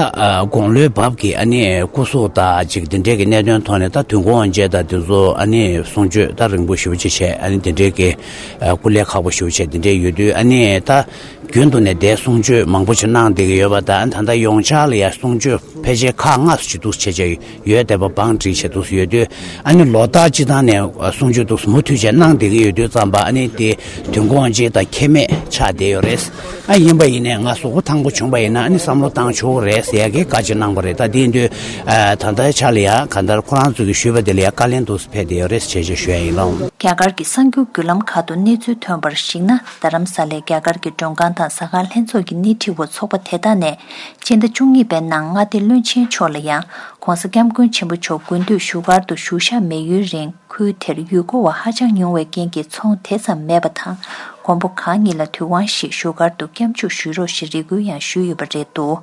དགུང་ལོའི་བབ་ཀྱི་ཨ་ནི་སྐུ་གཟུགས་དང་ཅིག་འདི་འདྲའི་གི་གནད་དོན་ཐོག་ནས་ད་དུས་འཁོར་དབང་ཆེན་དང་དེ་ཚོ་ཨ་ནི་གསུང་ཆོས་ད་རིང་པོ་ཞེ་པོ་ཅིག་བྱས། ཨ་ནི་འདི་འདྲའི་གི་སྐུ་ལས་ཁག་པོ་ཞེ་པོ་བྱས་འདི་འདྲའི་ཡོད་དུས། ཨ་ནི་ད་ རྒྱུན་དུ་ནས་དེ་གསུང་ཆོས་མང་པོ་ཞིག་གནང་བསྡད་ཀྱི་ཡོད་པ་དང་། ད་ལྟ་ཡོངས་ཆར་ལ་ཡང་གསུང་ཆོས་ཕལ་ཆེར་ཁག་ལྔ་ཙམ་ཅིག་འདུག་བྱས་བྱས་ཡོད་བསྡད་པ་བང་བསྒྲིགས་བྱས་འདུག་ཡོད་དུས། ཨ་ནི་ལོ་ལྟར་སྤྱི་བཏང་ནས་གསུང་ཆོས་འདུག་མུ་མཐུད་བྱས་གནང་བསྡད་ཀྱི་ཡོད་དུས་ཙམ་པ། ཨ་ནི་དེ་དུས་འཁོར་ཅིག་དང་ཁྱད་མེད་ཆགས་བསྡད་ཡོད་རེད། ཨ་ཡིན་པ་ཡིན་ནའི་ང་གཟུགས་པོ་ཐང་པོ་བྱུང་པ་ཡིན་ན། ཨ་ནི་བསམ་བློ་བཏང་ཆོག་གི་རེད་ཟེར་ཡ་གི་བཀའ་ཅིག་གནང་པ་རེད། ད་དེ་ཡིན་དུས་ཨ་ད་ལྟའི་ཆ་ལ་ཡང་གང་ལྟར་ཁོ་རང་ཚོ་གིས་ཞུས་པ་དེ་ལ་ཡང་བཀའ་ལན་འདུག་ཕེབས་བསྡད་ཡོད་རེད་ཅེས་ཞུ་ཡ་ཡིན་ལགས། རྒྱ་གར་གྱི་གསར་འགྱུར་བརྒྱུད་ལམ་ཁག་ཏུ་གནས་ཚུལ་ཐོན་པར་གཞིགས་ན། རྡ་རམ་ས་ལའི་རྒྱ་གར་གྱི་མགྲོན་ཁང་དང་ཟ་ཁང་ལྷན་ཚོགས་ཀྱི་སྣེ་ཁྲིད་འོག་ཚོགས་པ་དེ་དག་ནས་སྤྱི་ཟླ་བཅུ་གཉིས་པའི་ནང་མངའ་སྡེ་བློན་ཆེན་མཆོག་ལ་ཡང་༸གོང་ས་༸སྐྱབས་མགོན་ཆེན་པོ་མཆོག་དགུན་དུས་བཞུགས་སྒར་དུ་བཞུགས་ཞག་མེད་ཡུན་རིང་ཁུལ་དེར་ཡུལ་སྐོར་བ་ཧ་ཅང་ཉུང་བའི་རྐྱེན་གྱིས་ཚོང་དེ་ཙམ་མེད་པ་དང་། མགོན་པོ་གང་ཉིད་ལ་དུས་དབང་བཞིན་བཞུགས་སྒར་དུ་སྐྱབས་འཇུག་ཞུ་རོགས་ཞེས་རེ་སྐུལ་ཡང་ཞུས་ཡོད་པ་རེད་འདུག་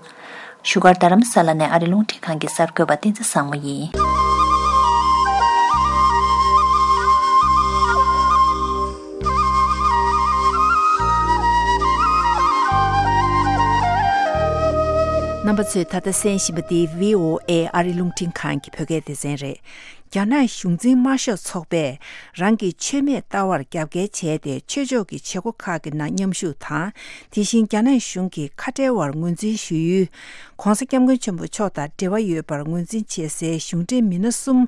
བཞུགས་སྒར་རྡ་རམ་ས་ལ་ནས་ཨ་རི་རླུང་འཕྲིན་ཁང་གི་གསར་འགོད་པ་བསྟན་འཛིན་བཟང་མོ་ཡིན། རྣམ་པ་ཚོས་ད་ལྟ་གསན་བཞིན་པ་འདི་བྷི་ཨོ་ཨེ་ཨ་རི་རླུང་འཕྲིན་ཁང་གི་བོད་སྐད་སྡེ་ཚན་རེད། རྒྱ་ནག་གཞུང་འཛིན་དམར་ཤོག་ཚོགས་པས་རང་གི་ཆོས་མེད་ལྟ་བར་རྒྱབ་འགལ་བྱས་ཏེ། ཆོས་ཕྱོགས་ཀྱི་བྱེད་སྒོ་ཁག་གི་ནང་མཉམ་ཞུགས་དང་། དེ་བཞིན་རྒྱ་ནག་གཞུང་གི་ཁ་བྲལ་བར་ངོས་འཛིན་ཞུ་ཡུལ། ༸གོང་ས་༸སྐྱབས་མགོན་ཆེན་པོ་མཆོག་དང་འབྲེལ་བ་ཡོད་པར་ངོས་འཛིན་བྱེད་སའི་གཞུང་འབྲེལ་མི་སྣ་གསུམ་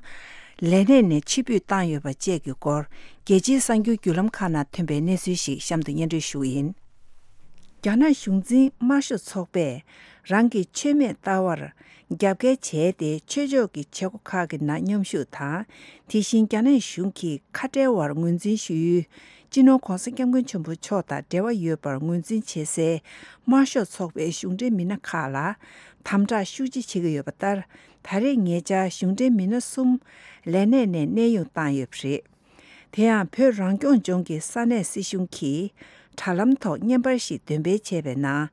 ལས་གནས་ནས་ཕྱིར་འབུད་བཏང་ཡོད་པ་བཅས་ཀྱི་སྐོར། རྒྱལ་སྤྱིའི་གསར་འགྱུར་བརྒྱུད་ལམ་ཁག་ནང་ཐོན་པའི་གནས་ཚུལ་ཞིག་གཤམ་དུ་སྙན་སྒྲོན་ཞུ་གི་ཡིན། རྒྱ་ནག་གཞུང་འཛིན་དམར་ཤོག་ཚོགས་པས་རང་གི་ཆོས་མེད་ལྟ་བར་རྒྱབ་འགལ་བྱས་ཏེ། ཆོས་ཕྱོགས་ཀྱི་བྱེད་སྒོ་ཁག་གི་ནང་མཉམ་ཞུགས་དང་། དེ་བཞིན་རྒྱ་ནག་གཞུང་གི་ཁ་བྲལ་བར་ངོས་འཛིན་ཞུ་ཡུལ། སྤྱི་ནོར་༸གོང་ས་༸སྐྱབས་མགོན་ཆེན་པོ་མཆོག་དང་འབྲེལ་བ་ཡོད་པར་ངོས་འཛིན་བྱེད་སའི་དམར་ཤོག་ཚོགས་པའི་གཞུང་འབྲེལ་མི་སྣ་ཁག་ལ་དམ་དྲག་ཤུགས་ཆེ་བྱེད་ཀྱི་ཡོད་པ་ལྟར། ད་རེས་ཉེ་ཆར་གཞུང་འབྲེལ་མི་སྣ་གསུམ་ལས་གནས་ནས་གནས་དབྱུང་བཏང་ཡོད་པ་རེད། དེ་ཡང་བོད་རང་སྐྱོང་ལྗོངས་ཀྱི་ས་གནས་སྲིད་གཞུང་གིས་དྲ་ལམ་ཐོག་བརྙན་པར་ཞིག་འདོན་སྤེལ་བྱས་པའི་ནང་།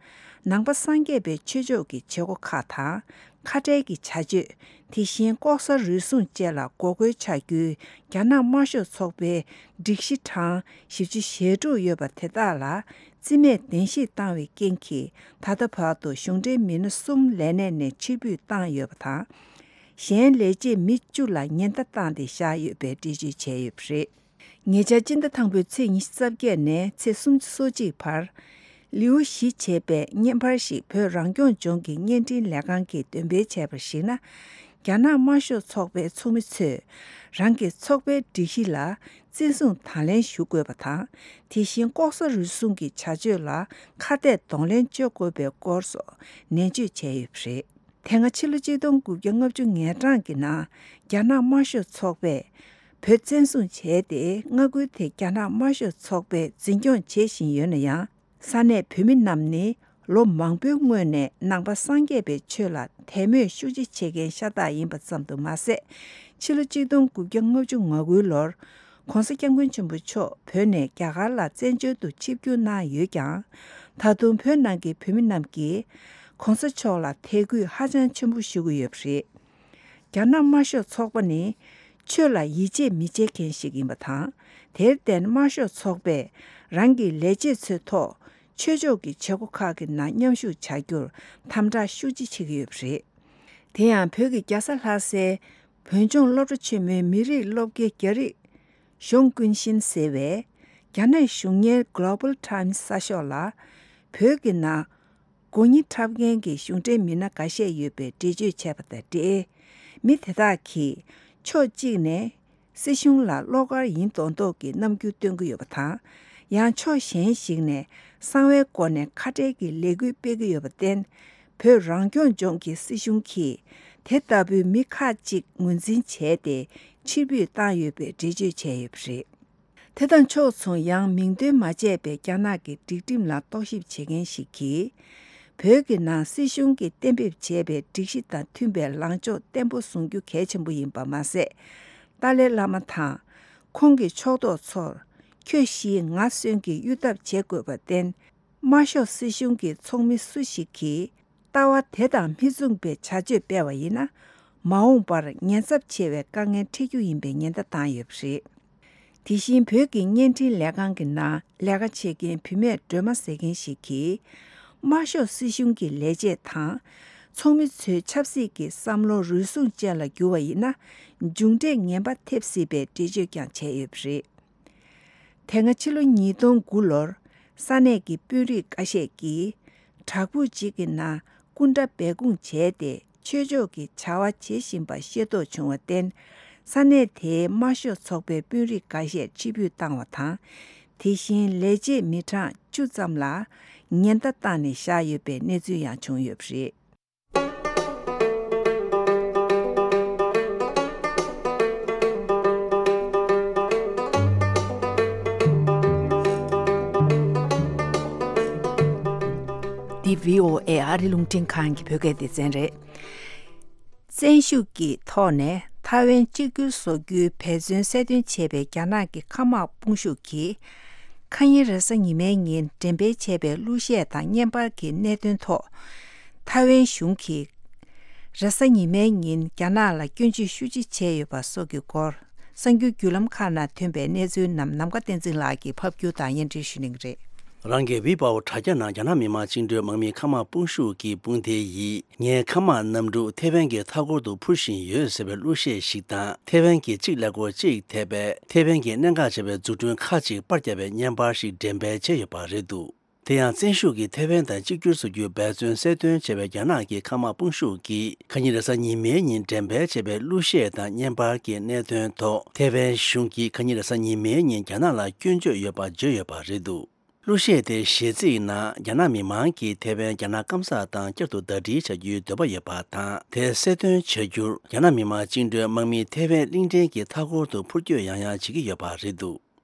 ནང་པ་སངས་རྒྱས་པའི་ཆོས་ཕྱོགས་ཀྱི་བྱེད་སྒོ་ཁག་དང་། ཁ་བྲལ་གྱི་བྱ་སྤྱོད། དེ་བཞིན་ལྐོག་ཟ་རུལ་སུངས་བཅས་ལ་འགོག་རྒོལ་བྱ་རྒྱུའི་རྒྱ་ནག་དམར་ཤོག་ཚོགས་པའི་སྒྲིག་གཞི་གྲངས་བཞི་བཅུ་ཞེ་དྲུག་ཡོད་པ་དེ་དག་ལ་རྩིས་མེད་གདན་ཞུ་བཏང་བའི་རྐྱེན་གྱིས། ད་ལྟ་བར་དུ་གཞུང་འབྲེལ་མི་སྣ་གསུམ་ལས་གནས་ནས་ཕྱིར་འབུད་བཏང་ཡོད་པ་དང་། གཞན་ལས་བྱེད་མི་བཅུ་ལ་ཉེན་བརྡ་བཏང་སྟེ་བཞག་ཡོད་པའི་འགྲེལ་བརྗོད་བྱས་ཡོད་པ་རེད། ཉེ་ཆར་སྤྱི་ཟླ་དང་པོའི་ཚེས་ཉི་ཤུ་རྩ་བརྒྱད་ནས་ཚེས་སུམ་ཅུ་སོ་གཅིག་བར། ལེའུ་བཞི་བྱས་པའི་བརྙན་པར་ཞིག་བོད་རང་སྐྱོང་ལྗོངས་ཀྱི་བརྙན་འཕྲིན་ལས་ཁང་གིས་འདོན་སྤེལ་བྱས་པར་གཞིགས་ན། རྒྱ་ནག་དམར་ཤོག་ཚོགས་པའི་ཚོགས་མི་ཚོས་རང་གི་ཚོགས་པའི་སྒྲིག་གཞི་ལ་བཙན་བཟུང་དང་ལེན་ཞུ་དགོས་པ་དང་། དེ་བཞིན་ལྐོག་ཟ་རུལ་སུངས་ཀྱི་བྱ་སྤྱོད་ལ་ཁ་གཏད་གདོང་ལེན་གཅོད་དགོས་པའི་སྐོར་སོགས་ནན་བརྗོད་བྱས་ཡོད་པ་རེད། དེ་སྔ་ཕྱི་ལོ་གཅིག་སྟོང་དགུ་བརྒྱ་ལྔ་བཅུ་ང་གྲངས་ཀྱི་ནང་རྒྱ་ནག་དམར་ཤོག་ཚོགས་པས་བོད་བཙན་བཟུང་བྱས་ཏེ། མངའ་ཁུལ་དེ་རྒྱ་ནག་དམར་ཤོག་ཚོགས་པས་འཛིན་སྐྱོང་བྱེད་བཞིན་ཡོད་ན་ཡང་། ས་གནས་བོད་མི་རྣམས་ནི་ལོ་མང་པོའི་སྔོན་ནས་ནང་པ་སངས་རྒྱས་པའི་ཆོས་ལ་དད་མོས་ཤུགས་ཆེ་བྱེད་མཁན་ཤ་སྟག་ཡིན་པ་ཙམ་དུ་མ་ཟད། ཕྱི་ལོ་གཅིག་སྟོང་དགུ་བརྒྱ་ལྔ་བཅུ་ང་དགུའི་ལོར་༸གོང་ས་༸སྐྱབས་མགོན་ཆེན་པོ་མཆོག་བོད་ནས་རྒྱ་གར་ལ་བཙན་བྱོལ་དུ་ཆིབས་བསྒྱུར་གནང་ཡོད་ཀྱང་། ད་དུང་བོད་ནང་གི་བོད་མི་རྣམས་ཀྱིས་༸གོང་ས་མཆོག་ལ་དད་གུས་ཧ་ཅང་ཆེན་པོ་ཞུ་གི་ཡོད་པ་རེད། རྒྱ་ནག་དམར་ཤོག་ཚོགས་པ་ནི་ཆོས་ལ་ཡིད་ཆེས་མི་བྱེད་མཁན་ཞིག་ཡིན་པ་དང་། དེར་བརྟེན་དམར་ཤོག་ཚོགས་པས་རང་གི་ལས་བྱེད་ཚོའི་ཐོག་ཆོས་ཕྱོགས་ཀྱི་བྱེད་སྒོ་ཁག་གི་ནང་མཉམ་ཞུགས་བྱ་རྒྱུར་དམ་དྲག་ཤུགས་ཆེ་བྱེད་ཀྱི་ཡོད་པ་རེད། དེ་ཡང་བོད་ཀྱི་རྒྱལ་ས་ལྷ་སའི་བོད་ལྗོངས་སློབ་གྲྭ་ཆེན་མོའི་མི་རིགས་སློབ་དགེ་རྒྱ་རིགས་ཞོང་ཀུན་ཤིན་ཟེར་བས། རྒྱ་ནག་གཞུང་གཉེར་Global Times་གསར་ཤོག་ལ། བོད་ཀྱི་ནང་སྒོ་ཉི་འཁྲབ་མཁན་གྱི་གཞུང་འབྲེལ་མི་སྣ་འགའ་ཤས་ཡོད་པའི་འགྲེལ་བརྗོད་བྱས་པ་དང་འབྲེལ། མི་དེ་དག་གིས་ཕྱོགས་གཅིག་ནས་སྲིད་གཞུང་ལ་བློ་དཀར་ཡིན་མདོག་མདོག་གི་རྣམ་འགྱུར་སྟོན་གྱི་ཡོད་པ་དང་། ཡང་ཕྱོགས་གཞན་ཞིག་ནས་གསང་བའི་སྒོ་ནས་ཁ་བྲལ་གྱི་ལས་འགུལ་སྤེལ་གྱི་ཡོད་པར་བརྟེན། བོད་རང་སྐྱོང་ལྗོངས་ཀྱི་སྲིད་གཞུང་གིས་དེ་ལྟ་བུའི་མི་ཁག་ཅིག་ངོས་འཛིན་བྱས་ཏེ་ཕྱིར་འབུད་བཏང་ཡོད་པའི་འགྲེལ་བརྗོད་བྱས་ཡོད་པ་རེད། དེ་དང་ཕྱོགས་མཚུངས། ཡང་མིང་འདོན་མ་བྱས་པའི་རྒྱ་ནག་གི་སྒྲིག་ཁྲིམས་ལ་རྟོག་ཞིབ་བྱེད་མཁན་ཞིག་གིས། བོད་ཀྱི་ནང་སྲིད་གཞུང་གིས་གཏན་འབེབས་བྱས་པའི་སྒྲིག་གཞི་དང་མཐུན་པའི་ལངས་ཕྱོགས་བརྟན་པོ་བཟུང་རྒྱུ་གལ་ཆེན་པོ་ཡིན་པ་མ་ཟད། ཏཱ་ལའི་བླ་མ་དང་ཁོང་གི་ཕྱོགས་གཏོགས་ཚོར་ཁྱོད་ཞི་ང་གསོན་གྱི་གཡུལ་འཐབ་བྱེད་དགོས་པར་བརྟེན། དམར་ཤོག་སྲིད་གཞུང་གི་ཚོགས་མི་སུ་ཞིག་གིས། ལྟ་བ་དེ་དང་མི་མཚུངས་པའི་བྱ་སྤྱོད་སྤེལ་བ་ཡིན་ན། མ་འོངས་པར་ཉེན་ཚབས་ཆེ་བའི་དཀའ་ངལ་འཕྲད་རྒྱུ་ཡིན་པའི་ཉེན་བརྡ་བཏང་ཡོད་པ་རེད། དེ་བཞིན་བོད་ཀྱི་བརྙན་འཕྲིན་ལས་ཁང་གི་ནང་ལས་ཀ་བྱེད་མཁན་བུད་མེད་སྒྲོལ་མ་ཟེར་མཁན་ཞིག་གིས། དམར་ཤོག་སྲིད་གཞུང་གི་ལས་བྱེད་དང་། ཚོགས་མི་ཚོའི་ཆབ་སྲིད་ཀྱི་བསམ་བློ་རུལ་སུངས་ཅན་ལ་འགྱུར་བ་ཡིན་ན། མཇུག་འབྲས་ངན་པ་ཐེབས་སྲིད་པའི་འགྲེལ་བརྗོད་ཀྱང་བྱས་ཡོད་པ་རེད། དེ་སྔ་ཕྱི་ལོ་ཉིས་སྟོང་དགུ་ལོར་ ས་གནས་ཀྱི་དཔོན་རིགས་འགའ་ཤས་ཀྱིས་བྲག་ཕུག་ཅིག་གི་ནང་སྐུ་འདྲ་སྦས་སྐུང་བྱས་ཏེ་ཆོས་ཕྱོགས་ཀྱི་བྱ་བ་བྱེད་བཞིན་པ་ཤེས་རྟོགས་བྱུང་བར་བརྟེན། ས་གནས་དེའི་དམར་ཤོག་ཚོགས་པའི་དཔོན་རིགས་འགའ་ཤས་ཕྱིར་འབུད་བཏང་བ་དང་། དེ་བཞིན་ལས་བྱེད་མི་གྲངས་བཅུ་ཙམ་ལ་ཉེན་བརྡ་བཏང་ནས་བཞག་ཡོད་པའི་གནས་ཚུལ་ཡང་བྱུང་ཡོད་པ་རེད། འདི་བྷི་ཨོ་ཨེ་ཨ་རི་རླུང་འཕྲིན་ཁང་གི་བོད་སྐད་སྡེ་ཚན་རེད། བཙན་ཤུགས་ཀྱི་ཐོག་ནས་ཐའེ་ཝན་གཅིག་གྱུར་བཟོ་རྒྱུའི་འབད་བརྩོན་གསལ་སྟོན་བྱས་པའི་རྒྱ་ནག་གི་མཁའ་དམག་དཔུང་ཤུགས་ཀྱིས། ཁ་ཉིན་རེས་གཟའ་ཉི་མའི་ཉིན་འགྲེམས་སྤེལ་བྱས་པའི་གླུ་གཞས་དང་བརྙན་པར་གྱི་གནད་དོན་ཐོག་ཐའེ་ཝན་གཞུང་གིས་རེས་གཟའ་ཉི་མའི་ཉིན་རྒྱ་ནག་ལ་སྐྱོན་བརྗོད་ཤུགས་ཆེ་བྱས་ཡོད་པ་སོགས་ཀྱི་སྐོར། གསར་འགྱུར་བརྒྱུད་ལམ་ཁག་ནང་ཐོན་པའི་གནས་ཚུལ་རྣམས་ནམ་མཁའ་བསྟན་འཛིན་ལགས་ཀྱིས་ཕབ་སྒྱུར་དང་སྙན་སྒྲོན་ཞུ་གནང་གི་རེད། རང་གི་ཝི་པའོ་དྲ་རྒྱ་ནང་རྒྱ་ནག་མི་དམངས་བཅིངས་འགྲོལ་དམག་མིའི་མཁའ་དམག་དཔུང་ཤུགས་ཀྱི་དཔུང་སྡེ་ཡིས། ངའི་མཁའ་དམག་གནམ་གྲུ་ཐེ་ཝན་གྱི་མཐའ་འཁོར་དུ་འཕུར་བཞིན་ཡོད་ཟེར་བའི་གླུ་གཞས་ཤིག་དང་། ཐེ་ཝན་གྱི་གཅིག་ཀླད་ཀོར་གཅིག་ཐེ་བའི་ཐེ་ཝན་གྱི་གནད་འགག་ཆེ་བའི་འཛུགས་སྐྲུན་ཁག་ཅིག་པར་བརྒྱབ་པའི་བརྙན་པར་ཞིག་འགྲེམས་སྤེལ་བྱས་ཡོད་པ་རེད་འདུག་དེ་ཡང་བཙན་ཤུགས་ཀྱིས་ཐེ་ཝན་དང་གཅིག་གྱུར་བཟོ་རྒྱུའི་འབད་བརྩོན་གསལ་སྟོན་བྱས་པའི་རྒྱ་ནག་གི་མཁའ་དམག་དཔུང་ཤུགས་ཀྱིས་ཁ་ཉིན་རེས་གཟའ་ཉི་མའི་ཉིན་འགྲེམས་སྤེལ་བྱས་པའི་གླུ་གཞས་དང་བརྙན་པར་གྱི་གནད་དོན་ཐོག་ཐེ་ཝན་གཞུང་གིས་ཁ་ཉིན་རེས་གཟའ་ཉི་མའི་ཉིན་རྒྱ་ནག་ལ་སྐྱོན་བརྗོད་ཡོད་པ་བརྗོད་ཡོད་པ་རེད་འདུག་གླུ་གཞས་དེའི་གཞས་ཚིག་ནང་རྒྱ་ནག་མི་མང་གིས་ཐེ་ཝན་རྒྱ་ནག་སྐམ་ས་དང་བསྐྱར་དུ་ཟླ་སྒྲིལ་བྱ་རྒྱུའི་འདོད་པ་ཡོད་པ་དང་། དེ་གསལ་སྟོན་བྱ་རྒྱུར་རྒྱ་ནག་མི་དམངས་བཅིངས་འགྲོལ་དམག་མིས་ཐེ་ཝན་གླིང་ཕྲན་གྱི་མཐའ་འཁོར་དུ་འཕུར་སྐྱོད་ཡང་ཡང་བྱེད་ཀྱི་ཡོད་པ་རེད་འདུག་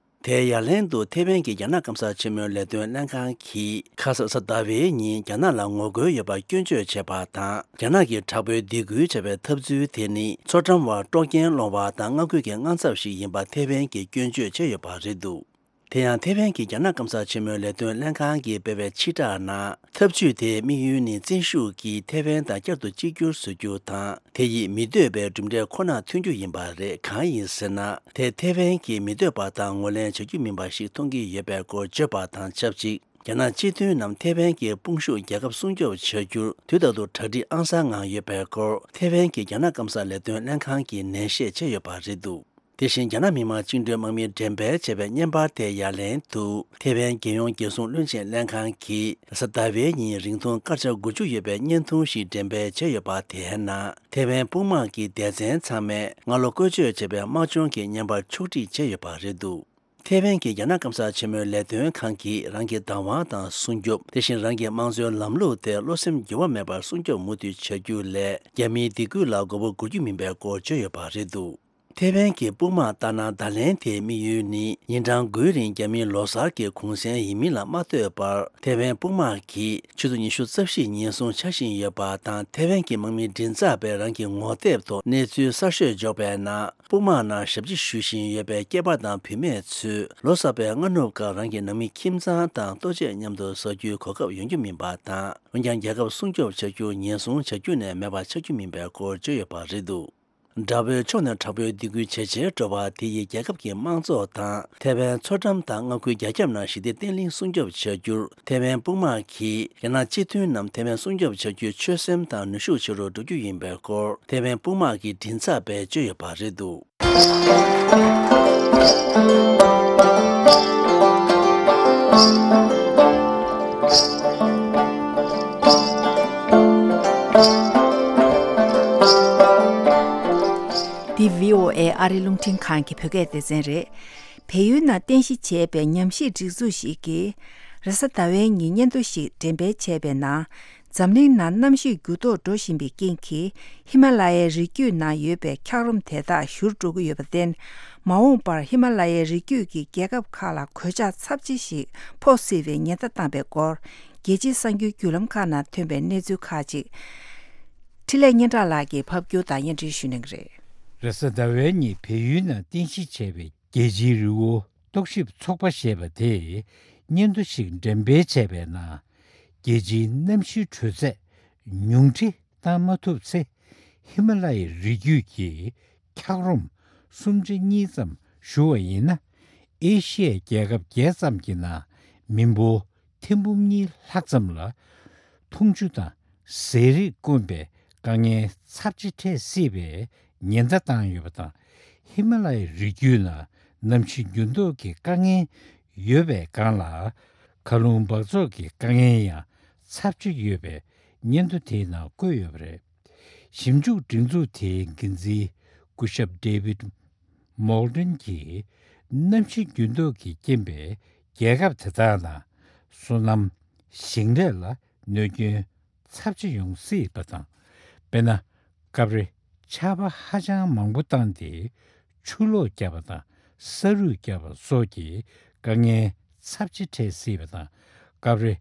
དེའི་ཡ་ལན་དུ་ཐེ་ཝན་གྱི་རྒྱ་ནག་སྐམ་ས་ཆེན་མོའི་ལས་དོན་ལྷན་ཁང་གིས་ཁ་ས་གཟའ་ཟླ་བའི་ཉིན་རྒྱ་ནག་ལ་ངོ་རྒོལ་ཡོད་པར་སྐྱོན་བརྗོད་བྱས་པ་དང་། རྒྱ་ནག་གིས་དྲག་པོའི་སྡིགས་སྐུལ་བྱས་པའི་འཐབ་རྩོད་དེ་ནི་མཚོ་འགྲམ་བར་དཀྲོག་རྐྱེན་སློང་བ་དང་མངའ་ཁུལ་གྱི་དངངས་འཚབ་ཞིག་ཡིན་པ་ཐེ་ཝན་གྱིས་སྐྱོན་བརྗོད་བྱས་ཡོད་པ་རེད་འདུག་དེ་ཡང་ཐེ་ཝན་གྱི་རྒྱ་ནག་སྐམ་ས་ཆེན་མོའི་ལས་དོན་ལྷན་ཁང་གིས་སྤེལ་བའི་ཕྱིར་བསྒྲགས་ནང་། འཐབ་ཇུས་དེའི་དམིགས་ཡུལ་ནི་བཙན་ཤུགས་ཀྱིས་ཐེ་ཝན་དང་བསྐྱར་དུ་གཅིག་གྱུར་བཟོ་རྒྱུ་དང་། དེ་ཡིས་མི་འདོད་པའི་གྲུབ་འབྲས་ཁོ་ན་ཐོན་རྒྱུ་ཡིན་པ་རེད། གང་ཡིན་ཟེར་ན། དེ་ཐེ་ཝན་གྱིས་མི་འདོད་པ་དང་ངོས་ལེན་བྱ་རྒྱུ་མིན་པ་ཞིག་མཐོང་གི་ཡོད་པའི་སྐོར་བརྗོད་པ་དང་ཆབས་ཅིག་རྒྱ་ནག་སྤྱི་མཐུན་ནམ་ཐེ་ཝན་གྱི་དཔུང་ཤུགས་རྒྱལ་ཁབ་སྲུང་སྐྱོབ་བྱ་རྒྱུར་དུས་རྟག་ཏུ་གྲ་སྒྲིག་ཨང་གསར་ངང་ཡོད་པའི་སྐོར་ཐེ་ཝན་གྱི་རྒྱ་ནག་སྐམ་ས་ལས་དོན་ལྷན་ཁང་གིས་ནན་བཤད་བྱས་ཡོད་པ་རེད་འདུག་དེ་བཞིན་རྒྱ་ནག་མི་དམངས་བཅིངས་འགྲོལ་དམག་མིས་འགྲེམས་སྤེལ་བྱས་པའི་བརྙན་པར་དེའི་ཡ་ལན་དུ། ཐེ་ཝན་རྒྱལ་ཡོངས་རྒྱལ་སྲུང་བློན་ཆེན་ལྷན་ཁང་གིས་གཟའ་ཟླ་བའི་ཉིན་རིང་ཐུང་སྐར་ཆ་དགུ་བཅུ་ཡོད་པའི་བརྙན་ཐུང་ཞིག་འགྲེམས་སྤེལ་བྱས་ཡོད་པ། དེའི་ནང་ཐེ་ཝན་དཔུང་དམག་གི་སྡེ་ཚན་ཚང་མས་སྔ་ལོ་བཀོལ་སྤྱོད་བྱས་པའི་དམག་སྦྱོང་གི་བརྙན་པར་ཕྱོགས་སྒྲིག་བྱས་ཡོད་པ་རེད་འདུག་ཐེ་ཝན་གྱི་རྒྱ་ནག་སྐམ་ས་ཆེན་མོའི་ལས་དོན་ཁང་གིས་རང་གི་བདག་དབང་དང་སྲུང་སྐྱོབ། དེ་བཞིན་རང་གི་དམངས་གཙོའི་ལམ་ལུགས་དེ་བློ་སེམས་འགྱུར་བ་མེད་པར་སྲུང་སྐྱོབ་མུ་མཐུད་བྱ་རྒྱུ་ལས། རྒྱ་མིའི་སྡིགས་སྐུལ་ལ་མགོ་སྐོར་དགོས་རྒྱུ་མིན་པའི་སྐོར་བརྗོད་ཡོད་པ་རེད་འདུག་ཐེ་ཝན་གྱི་དཔུང་དམག་ལྟར་ན། བརྡ་ལན་དེའི་དམིགས་ཡུལ་ནི། ཉིན་གྲངས་དགུའི་རིང་རྒྱ་མིའི་ལོ་གསར་གྱི་གུང་སེང་ཡིན་མིན་ལ་མ་ལྟོས་པར། ཐེ་ཝན་དཔུང་དམག་གིས་ཆུ་ཚོད་ཉི་ཤུ་རྩ་བཞི་ཉིན་གསུང་འཆར་བཞིན་ཡོད་པ་དང་། ཐེ་ཝན་གྱི་དམག་མི་མགྲིན་ཚབ་པས་རང་གི་ངོ་དེབ་ཐོག་གནས་ཚུལ་གསར་ཤོས་འཇོག་པའི་ནང་། དཔུང་དམག་ནང་ཞབས་ཕྱི་ཞུ་བཞིན་ཡོད་པའི་སྐྱེས་པ་དང་བུད་མེད་ཚོས། ལོ་གསར་པའི་སྔ་ནུབ་སྐབས་རང་གི་ནང་མི་ཁྱིམ་ཚང་དང་ལྟོ་ཆས་མཉམ་དུ་ཟ་རྒྱུའི་གོ་སྐབས་ཡོང་རྒྱུ་མིན་པ་དང་། འོན་ཀྱང་། རྒྱལ་ཁབ་སྲུང་སྐྱོབ་བྱ་རྒྱུ་ཉེན་སྲུང་བྱ་རྒྱུ་ནས་མེད་པ་ཆགས་རྒྱུ་མིན་པའི་སྐོར་བརྗོད་ཡོད་པ་རེད་འདུག་དགྲ་བོའི་ཕྱོགས་ནས་དྲག་པོའི་སྡིགས་སྐུལ་ཇེ་ཆེར་འགྲོ་བ་དེ་ཡིས་རྒྱལ་ཁབ་ཀྱི་དམངས་གཙོ་དང་། ཐེ་ཝན་མཚོ་འགྲམ་དང་མངའ་ཁུལ་རྒྱ་ཁྱབ་ནང་ཞི་བདེ་བརྟན་ལྷིང་སྲུང་སྐྱོབ་བྱ་རྒྱུར། ཐེ་ཝན་དཔུང་དམག་གིས་རྒྱ་ནག་སྤྱི་མཐུན་ནམ་ཐེ་ཝན་སྲུང་སྐྱོབ་བྱ་རྒྱུའི་ཆོད་སེམས་དང་ནུས་ཤུགས་ཆེ་རུ་འགྲོ་རྒྱུ་ཡིན་པའི་སྐོར། ཐེ་ཝན་དཔུང་དམག་གི་མགྲིན་ཚབ་པས་བརྗོད་ཡོད་པ་རེད་འདུག་འདི་བྷི་ཨོ་ཨེ་ཨ་རི་རླུང་འཕྲིན་ཁང་གི་བོད་སྐད་སྡེ་ཚན་རེད། བལ་ཡུལ་ནང་རྟེན་གཞི་བྱས་པའི་ཉམས་ཞིབ་སྒྲིག་འཛུགས་ཤིག་གིས། རེས་གཟའ་ཟླ་བའི་ཉིན་སྙན་ཐོ་ཞིག་འགྲེམས་སྤེལ་བྱས་པའི་ནང་། འཛམ་གླིང་ནང་གནམ་གཤིས་འགྱུར་ལྡོག་འགྲོ་བཞིན་པའི་རྐྱེན་གྱིས། ཧི་མ་ལ་ཡའི་རི་རྒྱུད་ནང་ཡོད་པའི་འཁྱགས་རོམ་དེ་དག་བཞུར་འགྲོ་གི་ཡོད་པར་བརྟེན། མ་འོངས་པར་ཧི་མ་ལ་ཡའི་རི་རྒྱུད་ཀྱི་རྒྱལ་ཁབ་ཁག་ལ་གོད་ཆག་ཚབས་ཆེ་ཞིག་ཕོག་སྲིད་པའི་ཉེན་བརྡ་བཏང་པའི་སྐོར། རྒྱལ་སྤྱིའི་གསར་འགྱུར་བརྒྱུད་ལམ་ཁག་ནང་ཐོན་པའི་གནས་ཚུལ་ཁག་ཅིག་འཕྲིན་ལས་སྙན་གྲགས་ལགས་ཀྱིས་ཕབ་སྒྱུར་དང་སྙན་སྒྲོན་ཞུ་གནང་གི་རེད། རེས་གཟའ་ཟླ་བའི་ཉིན་བལ་ཡུལ་ནང་རྟེན་གཞི་བྱས་པའི་རྒྱལ་སྤྱིའི་རི་བོ་རྟོག་ཞིབ་ཚོགས་པ་ཞེས་པ་དེས་སྙན་ཐོ་ཞིག་འགྲེམས་སྤེལ་བྱས་པའི་ནང་། རྒྱལ་སྤྱིའི་གནམ་གཤིས་དྲོད་ཚད་ཉུང་འཕྲི་བཏང་མ་ཐུབ་ཚེ། ཧི་མ་ལ་ཡའི་རི་རྒྱུད་ཀྱི་འཁྱགས་རོམ་སུམ་ཁྲི་གཉིས་ཙམ་བཞུ་བ་ཡིན་ན། ཨེ་ཤི་ཡའི་རྒྱལ་ཁབ་བརྒྱད་ཙམ་གྱི་ནང་མི་འབོར་ཐེར་འབུམ་གཉིས་ལྷག་ཙམ་ལ་འཐུང་ཆུ་དང་ཟས་རིགས་དཀོན་པའི་དཀའ་ངལ་ཚབས་ཆེ་འཕྲད་སྲིད་པའི་ཉེན་བརྡ་བཏང་ཡོད་པ་དང་། ཧི་མ་ལ་ཡའི་རི་རྒྱུད་ནང་གནམ་གཤིས་འགྱུར་ལྡོག་གི་དཀའ་ངལ་ཡོད་པའི་སྒང་ལ། མཁའ་རླུང་འབག་བཙོག་གི་དཀའ་ངལ་ཡང་ཚབས་ཆེ་ཡོད་པའི་སྙན་ཐོ་དེའི་ནང་བཀོད་ཡོད་པ་རེད། ཞིབ་འཇུག་སྒྲིག་འཛུགས་དེའི་འགན་འཛིན་སྐུ་ཞབས་David Moulton་གྱིས་གནམ་གཤིས་འགྱུར་ལྡོག་གི་རྐྱེན་པས་རྒྱལ་ཁབ་དེ་དག་ནང་སོ་ནམ་ཞིང་ལས་ལ་གནོད་སྐྱོན་ཚབས་ཆེ་ཡོང་སྲིད་པ་དང་། དཔེར་ན། སྐབས་རེ་ཆར་པ་ཧ་ཅང་མང་པོ་བཏང་སྟེ་ཆུ་ལོག་བརྒྱབ་པ་དང་ས་རུད་བརྒྱབ་པ་སོགས་ཀྱི་དཀའ་ངལ་ཚབས་ཆེ་འཕྲད་སྲིད་པ་དང་། སྐབས་རེ་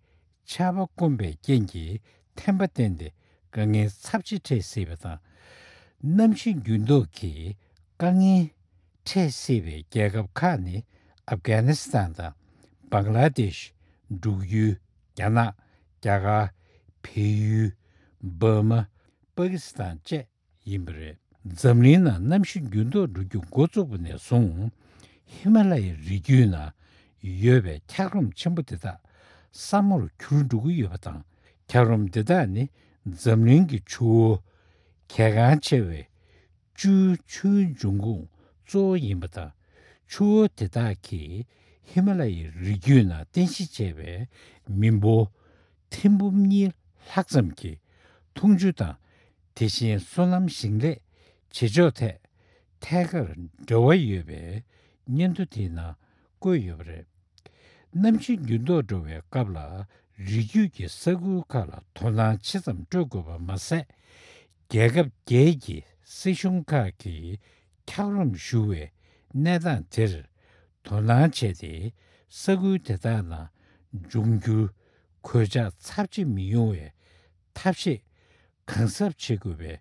ཆར་པ་སྐོམ་པའི་རྐྱེན་གྱིས་ཐན་པ་བསྟན་ཏེ་དཀའ་ངལ་ཚབས་ཆེ་འཕྲད་སྲིད་པ་དང་། གནམ་གཤིས་འགྱུར་ལྡོག་གིས་དཀའ་ངལ་འཕྲད་སྲིད་པའི་རྒྱལ་ཁབ་ཁག་ནི་ཨབ་གྷ་ནི་སི་ཐན་དང་། བང་ལ་དེཤ། འབྲུག་ཡུལ། རྒྱ་ནག། རྒྱ་གར། བལ་ཡུལ། འབར་མ། པ་ཀི་སི་ཐན་བཅས་ཡིན་པ་རེད། འཛམ་གླིང་ནང་གནམ་གཤིས་འགྱུར་ལྡོག་འགྲོ་རྒྱུ་འགོ་བཙུགས་པ་ནས་བཟུང་། ཧི་མ་ལ་ཡའི་རི་རྒྱུད་ནང་ཡོད་པའི་འཁྱགས་རོམ་ཆེན་པོ་དེ་དག་ས་མོར་གྱུར་འགྲོ་གི་ཡོད་པ་དང་། འཁྱགས་རོམ་དེ་དག་ནི་འཛམ་གླིང་གི་ཆུ་བོ་གལ་འགངས་ཆེ་བའི་བཅུའི་ཆུའི་འབྱུང་ཁུངས་གཙོ་བོ་ཡིན་པ་དང་། ཆུ་བོ་དེ་དག་གིས་ཧི་མ་ལ་ཡའི་རི་རྒྱུད་ནང་རྟེན་གཞི་བྱས་པའི་མི་འབོར་ཐེར་འབུམ་གཉིས་ལྷག་ཙམ་གྱི་འཐུང་ཆུ་དང་། དེ་བཞིན་སོ་ནམ་ཞིང་ལས་བྱེད་ཕྱོགས་ཐད་ཐད་ཀར་འབྲེལ་བ་ཡོད་པའི་སྙན་ཐོ་དེའི་ནང་བཀོད་ཡོད་པ་རེད། གནམ་གཤིས་འགྱུར་ལྡོག་འགྲོ་བའི་སྐབས་ལ་རི་རྒྱུད་ཀྱི་ས་ཁུལ་ཁག་ལ་དོ་སྣང་ཆེ་ཙམ་སྤྲོད་དགོས་པ་མ་ཟད། རྒྱལ་ཁབ་བརྒྱད་ཀྱི་སྲིད་གཞུང་ཁག་གིས་འཁྱགས་རོམ་བཞུ་བའི་གནས་སྟངས་དེར་དོ་སྣང་བྱས་ཏེ། ས་ཁུལ་དེ་དག་ནང་འབྱུང་འགྱུར་གོད་ཆག་ཚབས་ཆེ་མི་ཡོང་བའི་ཐབས་ཤེས་གང་གཟབ་བྱེད་དགོས་པའི་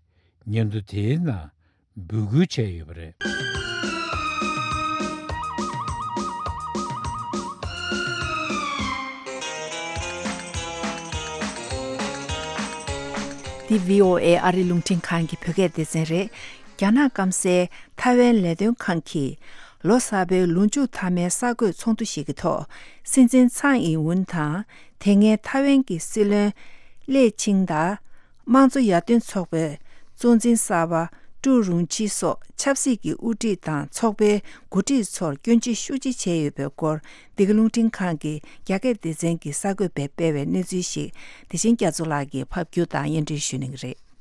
སྙན་ཐོ་དེའི་ནང་འབོད་སྐུལ་བྱས་ཡོད་པ་རེད། འདི་བྷི་ཨོ་ཨེ་ཨ་རི་རླུང་འཕྲིན་ཁང་གི་བོད་སྐད་སྡེ་ཚན་རེད། རྒྱ་ནག་སྐམ་སའི་ཐའེ་ཝན་ལས་དོན་ཁང་གིས་ལོ་གསར་པའི་ལོ་མཇུག་མཐའ་མའི་གསར་འགོད་ཚོགས་འདུ་ཞིག་གི་ཐོག་སྲིད་འཛིན་ཚའེ་ཨིན་ཝུན་དང་། དེ་སྔའི་ཐའེ་ཝན་གྱི་སྲིད་བློན་ལེ་ཆིང་དང་། དམངས་གཙོ་ཡར་ཐོན་ཚོགས་པའི་གཙོ་འཛིན་གསར་པ་ཀྲུའུ་རུང་ཆི་སོགས་ཆབ་སྲིད་ཀྱི་དབུ་ཁྲིད་དང་ཚོགས་པའི་འགོ་ཁྲིད་ཚོར་སྐྱོན་བརྗོད་ཤུགས་ཆེ་བྱས་ཡོད་པའི་སྐོར། འདི་ག་རླུང་འཕྲིན་ཁང་གི་རྒྱ་སྐད་སྡེ་ཚན་གྱི་གསར་འགོད་པས་སྤེལ་བའི་གནས་ཚུལ་ཞིག་བདེ་ཆེན་རྒྱ་མཚོ་ལགས་ཀྱིས་ཕབ་སྒྱུར་དང་སྙན་སྒྲོན་ཞུ་གནང་གི་རེད།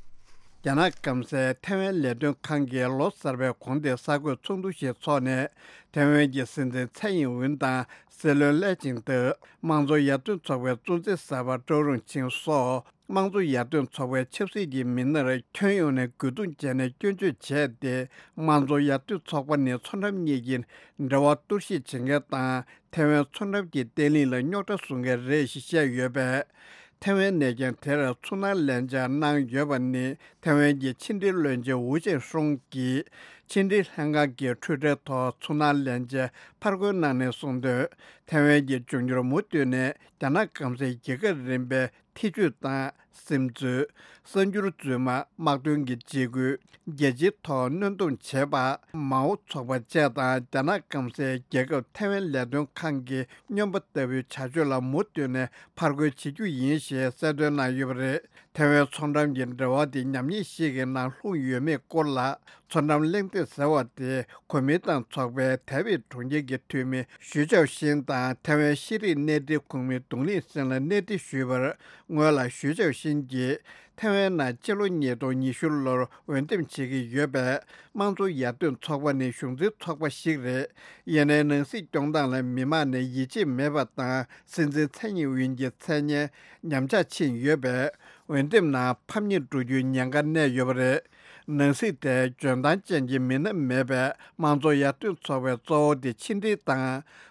རྒྱ་ནག་སྐམ་སའི་ཐའེ་ཝན་ལས་དོན་ཁང་གིས་ལོ་གསར་པའི་གོང་དེ་གསར་འགོད་ཚོགས་འདུ་ཞིག་འཚོགས་ནས། ཐའེ་ཝན་གྱི་སྲིད་འཛིན་ཚའེ་ཨིན་ཝུན་དང་སྲིད་བློན་ལེ་ཆིང་ཏེ། དམངས་གཙོ་ཡར་ཐོན་ཚོགས་པའི་གཙོ་འཛིན་གསར་པ་ཀྲོ་རུང་ཆིང་སོགས་དམངས་གཙོ་ཡར་ཐོན་ཚོགས་པའི་ཆབ་སྲིད་ཀྱི་མི་སྣར་ཁྱོན་ཡོངས་ནས་རྒོལ་རྡུང་བྱས་ནས་སྐྱོན་བརྗོད་བྱས་ཏེ། དམངས་གཙོ་ཡར་ཐོན་ཚོགས་པ་ནི་མཚོ་འགྲམ་གཉིས་ཀྱི་འབྲེལ་བ་གཏོར་བཤིག་བྱེད་མཁན་དང་། ཐའེ་ཝན་མཚོ་འགྲམ་གྱི་བརྟན་ལྷིང་ལ་རྙོག་དྲ་བཟོ་མཁན་རེད་ཞེས་བཤད་ཡོད་པས། ཐའེ་ཝན་གནས་མཁན་དེར་ཚོར་སྣང་ལེན་བྱ་གནང་ཡོད་པ་ནི། ཐའེ་ཝན་གྱི་ཕྱི་འབྲེལ་བློན་ཆེན་ཝུ་ཅན་ཧྲུང་གིས་ཕྱི་འབྲེལ་ལྷན་ཁང་གི་འཕྲུལ་ཁྲིམས་ཐོག་ཚོར་སྣང་ལེན་བྱ་ཕར་རྒོལ་གནང་ནས་གསུངས་དོན། ཐའེ་ཝན་གྱི་འབྱུང་འགྱུར་མུ་མཐུད་ནས་རྒྱ་ནག་སྐམ་སའི་རྒྱལ་ཁབ་རིམ་པའི་ཐེ་ཇུས་དང་། སིམ་འཛུལ། གསར་འགྱུར་རྫུན་མ། དམག་དོན་གྱི་འཇིགས་སྐུལ། རྒྱལ་སྤྱིའི་ཐོག་གནོན་སྡོམ་བྱེད་པ། མའོ་ཚོགས་པ་བཅས་དང་། རྒྱ་ནག་སྐམ་སའི་རྒྱལ་ཁབ་ཐའེ་ཝན་ལས་དོན་ཁང་གི་སྨྱོན་པ་ལྟ་བུའི་བྱ་སྤྱོད་ལ་མུ་མཐུད་ནས་ཕར་རྒོལ་བྱེད་རྒྱུ་ཡིན་ཞེས་གསལ་སྟོན་གནང་ཡོད་པ་རེད། ཐའེ་ཝན་མཚོ་འགྲམ་གྱི་འབྲེལ་བ་དེ་ཉམས་ཉེས་ཤིག་གི་ནང་ལྷུང་ཡོད་མེད་སྐོར་ལ། མཚོ་འགྲམ་གླེང་སྟེགས་ཟེར་བ་དེ་གོ་མིན་ཏང་ཚོགས་པའི་ཐའེ་པེ་གྲོང་ཁྱེར་གྱི་འཐུས་མི་ཞུས་ཅའོ་ཤིན་དང་ཐའེ་ཝན་ཤེས་རིག་གནས་སྒྲིག་ཁོངས་མི་ཏུང་ལིན་སིན་ལ་གནས་འདྲི་ཞུས་པར། སྔོན་ལ་ཞུས་ཅའོ་ཤིན་གྱིས་ཐའེ་ཝན་ནང་སྤྱི་ལོ་ཉིས་སྟོང་ཉི་ཤུ་ལོར་འོས་འདེམས་བྱེད་ཀྱི་ཡོད་པས། དམངས་གཙོ་ཡར་ཐོན་ཚོགས་པ་ནི་གཞུང་འཛིན་ཚོགས་པ་ཞིག་རེད། ཡིན་ནའི་ནང་སྲིད་སྐྱོང་སྟངས་ལ་མི་མང་ནས་ཡིད་ཆེས་མེད་པ་དང་། སྲིད་འཛིན་ཚའེ་ཡིན་ཝིན་གྱི་མཚན་སྙན་ཉམས་ཆག་ཕྱིན་ཡོད་པས། འོས་འདེམས་ནང་ཕམ་ཉེས་འགྲོ་རྒྱུའི་ཉེན་ཁ་གནས་ཡོད་པ་རེད། ནང་སྲིད་དེ་འཇོན་ཐང་ཅན་གྱི་མི་སྣ་མེད་པས། དམངས་གཙོ་ཡར་ཐོན་ཚོགས་པའི་གཙོ་བོ་དེ་ཕྱི་འབྲེལ་དང་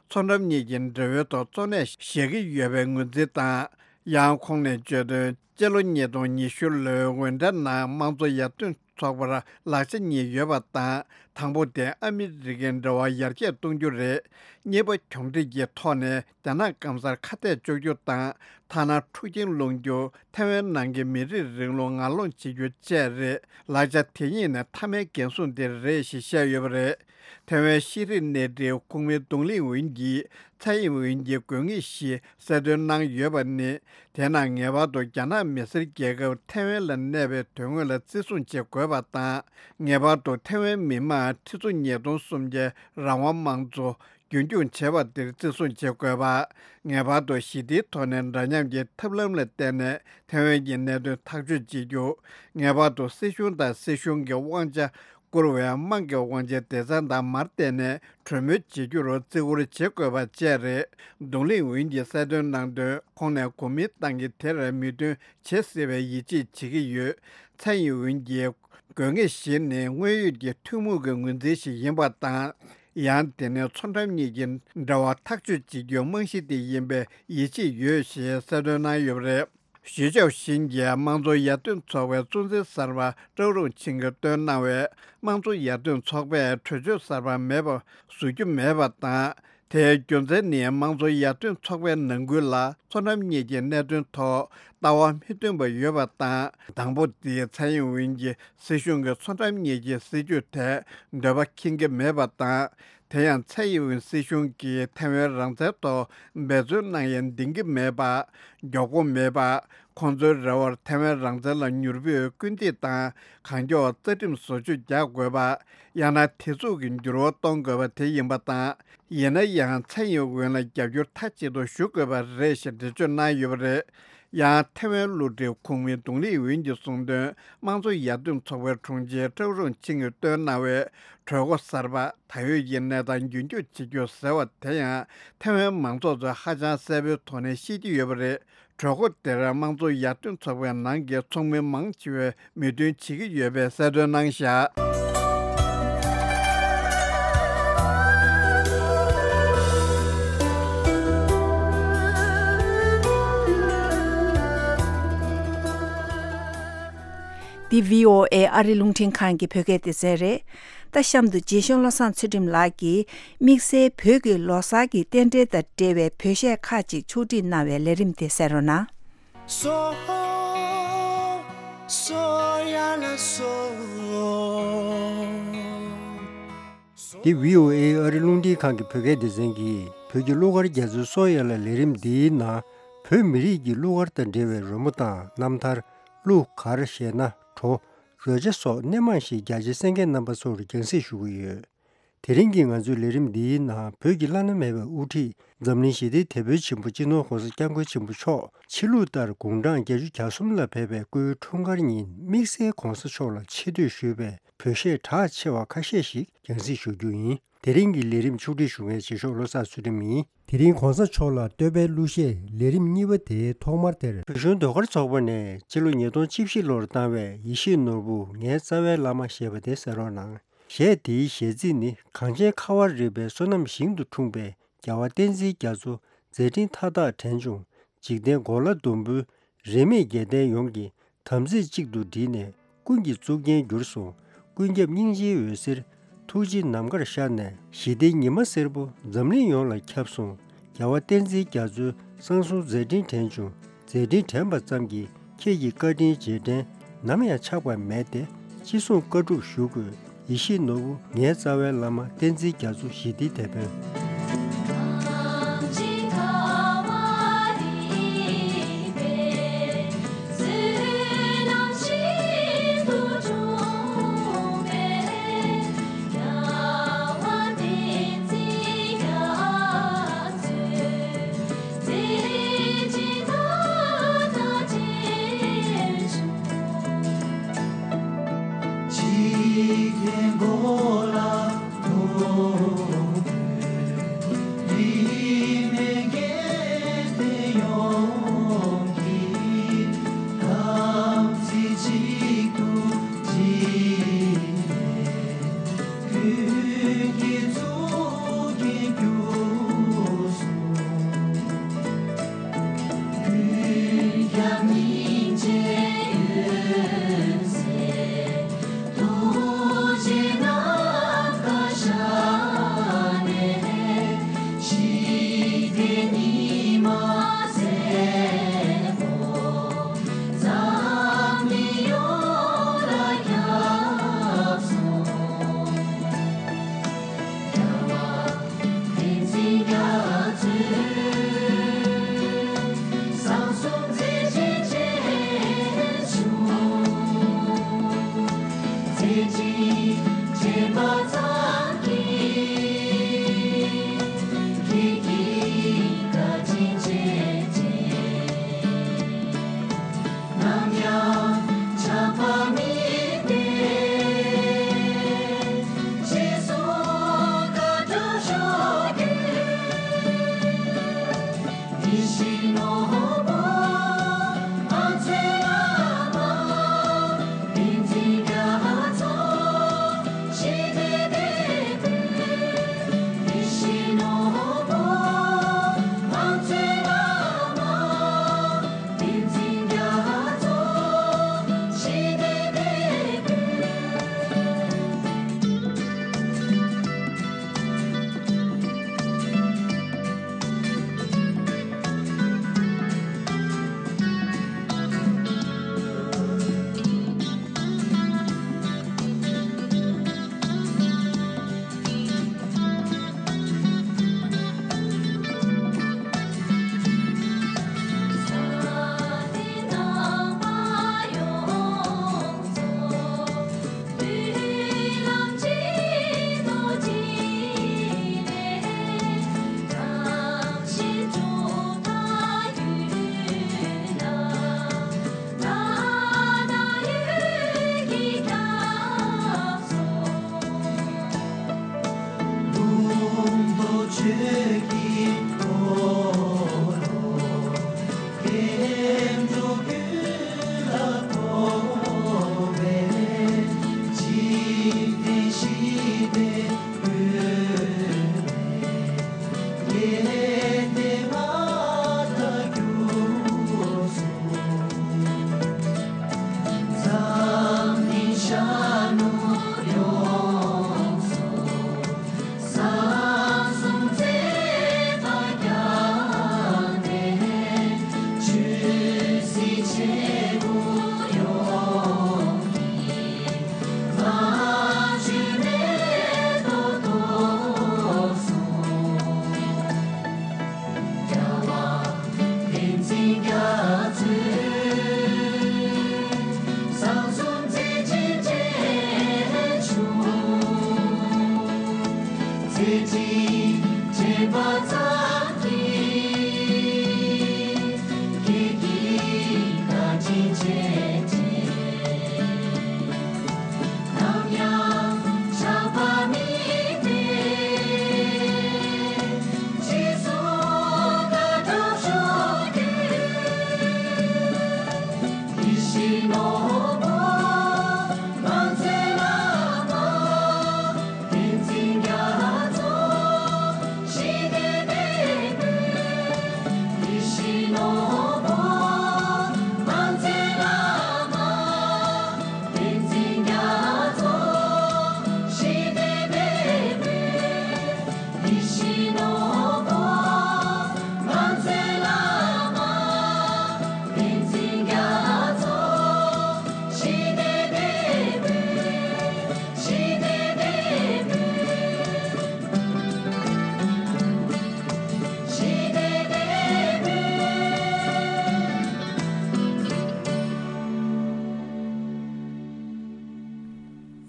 མཚོ་འགྲམ་གཉིས་ཀྱི་འབྲེལ་བའི་ཐོག་གཙོ་གནད་བཞག་གི་ཡོད་པའི་ངོས་འཛིན་དང་། ཡང་ཁོང་ནས་བརྗོད་དོན། སྤྱི་ལོ་ཉིས་སྟོང་ཉི་ཤུ་ལོའི་འོས་འགྲན་ནང་དམངས་གཙོ་ཡར་ཐོན་ཚོགས་པར་ལག་ཆ་གཉིས་ཡོད་པ་དང་། དང་པོ་དེ་ཨ་མི་རི་ཀའི་འབྲེལ་བ་ཡར་རྒྱས་གཏོང་རྒྱུ་རེད། གཉིས་པ་གྱོང་འཕྲད་ཀྱི་ཐོག་ནས་རྒྱ་ནག་སྐམ་སར་ཁ་གཏད་གཅོག་རྒྱུ་དང་། ཐ་ན་འཁྲུག་རྐྱེན་སློང་རྒྱུ། ཐའེ་ཝན་ནང་གི་མི་རིགས་རིང་ལུགས་ངར་སློང་བྱེད་རྒྱུ་བཅས་རེད། ལག་ཆ་དེ་གཉིས་ནི་མཐའ་མའི་འགན་སྲུང་དེ་རེད་ཞེས་བཤད་ཡོད་པ་རེད། ཐའེ་ཝན་ཤེས་རིག་གནས་འབྲེལ་ཁོངས་མི་ཏུང་ལིན་ཝུན་གྱིས་ཚའེ་ཡིན་ཝུན་གྱི་དགོས་ངེས་ཞེས་གསལ་སྟོན་གནང་ཡོད་པ་ནི། དེས་ན་ངེས་པར་དུ་རྒྱ་ནག་མི་སེར་རྒྱལ་ཁབ་ཐའེ་ཝན་ལ་གནས་པའི་དོན་དངོས་ལ་བརྩི་སྲུང་བྱེད་དགོས་པ་དང་། ངེས་པར་དུ་ཐའེ་ཝན་མི་དམངས་ཁྲི་ཚོ་ཉིས་སྟོང་སུམ་བརྒྱའི་རང་དབང་དམངས་གཙོ། རྒྱུན་འཁྱོངས་བྱེད་པ་དེར་བརྩི་སྲུང་བྱེད་དགོས་པ། ངེས་པར་དུ་ཞི་བདེའི་ཐོག་ནས་འདྲ་མཉམ་གྱི་ཐབས་ལམ་ལ་བརྟེན་ནས་ཐའེ་ཝན་གྱི་གནད་དོན་ཐག་གཅོད་བྱེད་རྒྱུ། ངེས་པར་དུ་སྲིད་གཞུང་དང་སྲིད་གཞུང་གི་དབང་ཆ་བསྐུར་བའི་དམངས་ཀྱི་དབང་ཆའི་སྡེ་ཚན་དང་མར་བལྟས་ནས་གྲོས་མོལ་བྱེད་རྒྱུར་བརྩི་བཀུར་བྱེད་དགོས་པ་བཅས་རེད། རྡུང་ལེན་ཝུན་གྱིས་གསལ་སྟོན་གནང་དོན། ཁོང་ནས་གོ་མིན་ཏང་གིས་དེར་མོས་མཐུན་བྱེད་སྲིད་པའི་ཡིད་ཆེས་བྱེད་ཀྱི་ཡོད། ཚའེ་ཡིན་ཝུན་གྱིས། དགོས་ངེས་བཞི་ནི་དངོས་ཡོད་ཀྱི་ཐུན་མོང་གི་ངོས་འཛིན་ཞིག་ཡིན་པ་དང་། ཡང་དེ་ནི་མཚོ་འགྲམ་གཉིས་ཀྱི་འབྲེལ་བ་ཐག་གཅོད་བྱེད་རྒྱུའི་རྨང་གཞི་དེ་ཡིན་པའི་ཡིད་ཆེས་ཡོད་ཞེས་གསལ་སྟོན་གནང་ཡོད་པ་རེད། ཞུས་ཅའོ་ཤིན་གྱིས་དམངས་གཙོ་ཡར་ཐོན་ཚོགས་པའི་གཙོ་འཛིན་གསར་པ་ཀྲོའུ་རུང་ཆིང་གིས་བཏོན་གནང་བའི་དམངས་གཙོ་ཡར་ཐོན་ཚོགས་པས་གྲོས་ཆོད་གསར་པ་མེད་པ་བཟོ་རྒྱུ་མེད་པ་དང་། དེའི་རྒྱུ་མཚན་ནི་དམངས་གཙོ་ཡར་ཐོན་ཚོགས་པའི་ནང་ཁུལ་ལ་མཚོ་འགྲམ་གཉིས་ཀྱི་གནད་དོན་ཐོག་ལྟ་བ་མི་མཐུན་པ་ཡོད་པ་དང་། དང་པོ་དེ་ཚའེ་ཡིན་ཝུན་གྱི་སྲིད་གཞུང་གིས་མཚོ་འགྲམ་གཉིས་ཀྱི་སྲིད་ཇུས་ཐད་འདོད་པ་ཁེངས་ཀྱི་མེད་པ་དང་། དེ་ཡང་ཚའེ་ཡིན་ཝུན་སྲིད་གཞུང་གིས་ཐའེ་ཝན་རང་བཙན་ཐོག་འབད་བརྩོན་གནང་ཡང་འདིང་གི་མེད་པ། མགྱོགས་པོ་མེད་པ། ཁོང་ཚོའི་རེ་བར་ཐའེ་ཝན་རང་བཙན་ལ་མྱུར་པོའི་སྐུལ་འདེད་དང་གང་མགྱོགས་རྩ་ཁྲིམས་བཟོ་བཅོས་རྒྱག་དགོས་པ། ཡང་ན་དེ་ཚུགས་ཀྱི་འགྱུར་བ་གཏོང་དགོས་པ་དེ་ཡིན་པ་དང་། ཡིན་ན་ཡང་ཚའེ་ཡིན་ཝུན་ལ་རྒྱབ་སྐྱོར་མཐའ་གཅིག་ཏུ་ཞུ་དགོས་པ་རེད་ཞེས་འགྲེལ་བརྗོད་གནང་ཡོད་པ་རེད། ཡང་ཐའེ་ཝན་བསླུ་བྲིད་ཁུངས་མི་ཏུང་ལི་ཝུན་གྱིས་གསུངས་དོན། དམངས་གཙོ་ཡར་ཐོན་ཚོགས་པའི་དྲུང་ཆེ་ཀྲོའུ་རུང་ཆིང་གིས་བཏོན་གནང་བའི་གྲོས་འགོ་གསར་པ། ད་ཡོད་ཀྱི་གནས་སྟངས་རྒྱུན་འཁྱོངས་བྱེད་རྒྱུ་ཟེར་བ་དེ་ཡང་ཐའེ་ཝན་མང་ཚོགས་ཚོས་ཧ་ཅང་གསལ་པོའི་ཐོག་ནས་ཤེས་ཀྱི་ཡོད་པ་རེད། གྲོས་འགོ་དེར་དམངས་གཙོ་ཡར་ཐོན་ཚོགས་པའི་ནང་གི་ཚོགས་མི་མང་ཆེ་བས་མོས་མཐུན་བྱེད་ཀྱི་ཡོད་པའི་གསལ་སྟོན་གནང་བཞག། འདི་བྷི་ཨོ་ཨེ་ཨ་རི་རླུང་འཕྲིན་ཁང་གི་བོད་སྐད་སྡེ་ཚན་རེད། ད་གཤམ་དུ་རྗེ་གཞུང་བློ་བཟང་ཚུལ་ཁྲིམས་ལགས་ཀྱིས་དམིགས་བསལ་བོད་ཀྱི་ལོ་གསར་གྱི་རྟེན་འབྲེལ་དང་འབྲེལ་བའི་བོད་གཞས་ཁག་ཅིག་ཕྱོགས་སྒྲིག་གནང་བའི་ལས་རིམ་དེ་གསན་རོགས་གནང་། སོ། སོ་ཡ་ལ་སོ། འདི་བྷི་ཨོ་ཨེ་ཨ་རི་རླུང་འཕྲིན་ཁང་གི་བོད་སྐད་སྡེ་ཚན་གྱིས་བོད་ཀྱི་གླུ་གར་རྒྱ་མཚོའི་སོ་ཡ་ལ་ལས་རིམ་འདིའི་ནང་བོད་མི་རིགས་ཀྱི་གླུ་གར་དང་འབྲེལ་བའི་རོལ་མོ་དང་རྣམ་ཐར། གླུ་གར་ཞེས་ན་བྲོ། རོལ་ཆ་སོགས་སྣེ་མང་ཞིག་རྒྱ་ཆེའི་གསན་མཁན་རྣམ་པ་ཚོར་རྒྱང་སྲིང་ཞུ་གི་ཡོད། དེ་རིང་གི་ང་ཚོའི་ལས་རིམ་འདིའི་ནང་བོད་ཀྱི་བླ་ན་མེད་པའི་དབུ་ཁྲིད་འཛམ་གླིང་ཞི་བདེའི་དེད་དཔོན་ཆེན་པོ་སྤྱི་ནོར་༸གོང་ས་༸སྐྱབས་མགོན་ཆེན་པོ་མཆོག་ཕྱི་ལུགས་ལྟར་དགུང་གྲངས་བརྒྱད་ཅུ་གྱ་གསུམ་ལ་ཕེབས་པའི་སྐུའི་འཁྲུངས་སྐར་ཉིན་དམིགས་བསལ་༸གོང་ས་མཆོག་ལ་ཆེ་བསྟོད་ཞུས་པའི་བོད་གཞས་གྲགས་ཆེ་བ་ཁ་ཤས་ཤིག་རྒྱང་སྲིང་ཞུ་རྒྱུ་ཡིན། དེ་རིང་གི་ལས་རིམ་ཕྱོགས་སྒྲིག་ཞུ་མཁན་རྗེ་གཞུང་བློ་བཟང་ཚུལ་ཁྲིམས་ཡིན། དེ་རིང་༸གོང་ས་མཆོག་ལ་བསྟོད་པའི་གླུ་གཞས་ལས་རིམ་གཉིས་པ་དེའི་ཐོག་མར་དེར། བོད་གཞུང་ཟློས་གར་ཚོགས་པ་ནས་སྤྱི་ལོ་ཉིས་སྟོང་བཅུ་བཞི་ལོར་བཏང་བའི་ཡེ་ཤེས་ནོར་བུ་ངའི་རྩ་བའི་བླ་མ་ཞེས་པ་དེ་གསན་རོགས་གནང་། གཞས་དེའི་གཞས་ཚིག་ནི། གངས་ཅན་ཁ་བ་རི་པའི་སོ་ནམ་ཞིང་དུ་འཁྲུངས་པའི་རྒྱལ་བ་བསྟན་འཛིན་རྒྱ་མཚོ་མཛད་འཕྲིན་མཐའ་དག་དྲན་བྱུང་། འཇིག་རྟེན་གོ་ལ་ཟླུམ་པོའི་རིས་མེད་རྒྱལ་བསྟན་ཡོངས་ཀྱི་དམ་ཚིག་གཅིག་ཏུ་བསྒྲིལ་ནས་ཀུན་གྱི་གཙུག་རྒྱན་གྱུར་སོང་། ཀུན་ཁྱབ་སྙིང་རྗེའི་འོད་ཟེར་ཐུགས་རྗེ་ནམ་མཁར་ཤར་ནས་ཞི་བདེའི་ཉི་མ་སེར་པོ་འཛམ་གླིང་ཡོངས་ལ་ཁྱབ་སོང་། རྒྱལ་བ་བསྟན་འཛིན་རྒྱ་མཚོའི་གསང་གསུམ་མཛད་འཕྲིན་དྲན་བྱུང་། མཛད་འཕྲིན་དྲན་པ་ཙམ་གྱིས་ཁྱེད་ཀྱི་བཀའ་དྲིན་རྗེས་དྲན་ནམ་ཡང་ཆག་པ་མེད་དེ། ཅི་གསུང་བཀའ་སྒྲུབ་ཞུ་དགོས། ཡེ་ཤེས་ནོར་བུ་ངའི་རྩ་བའི་བླ་མ་བསྟན་འཛིན་རྒྱ་མཚོ་ཞི་བདེའི་དེད་དཔོན།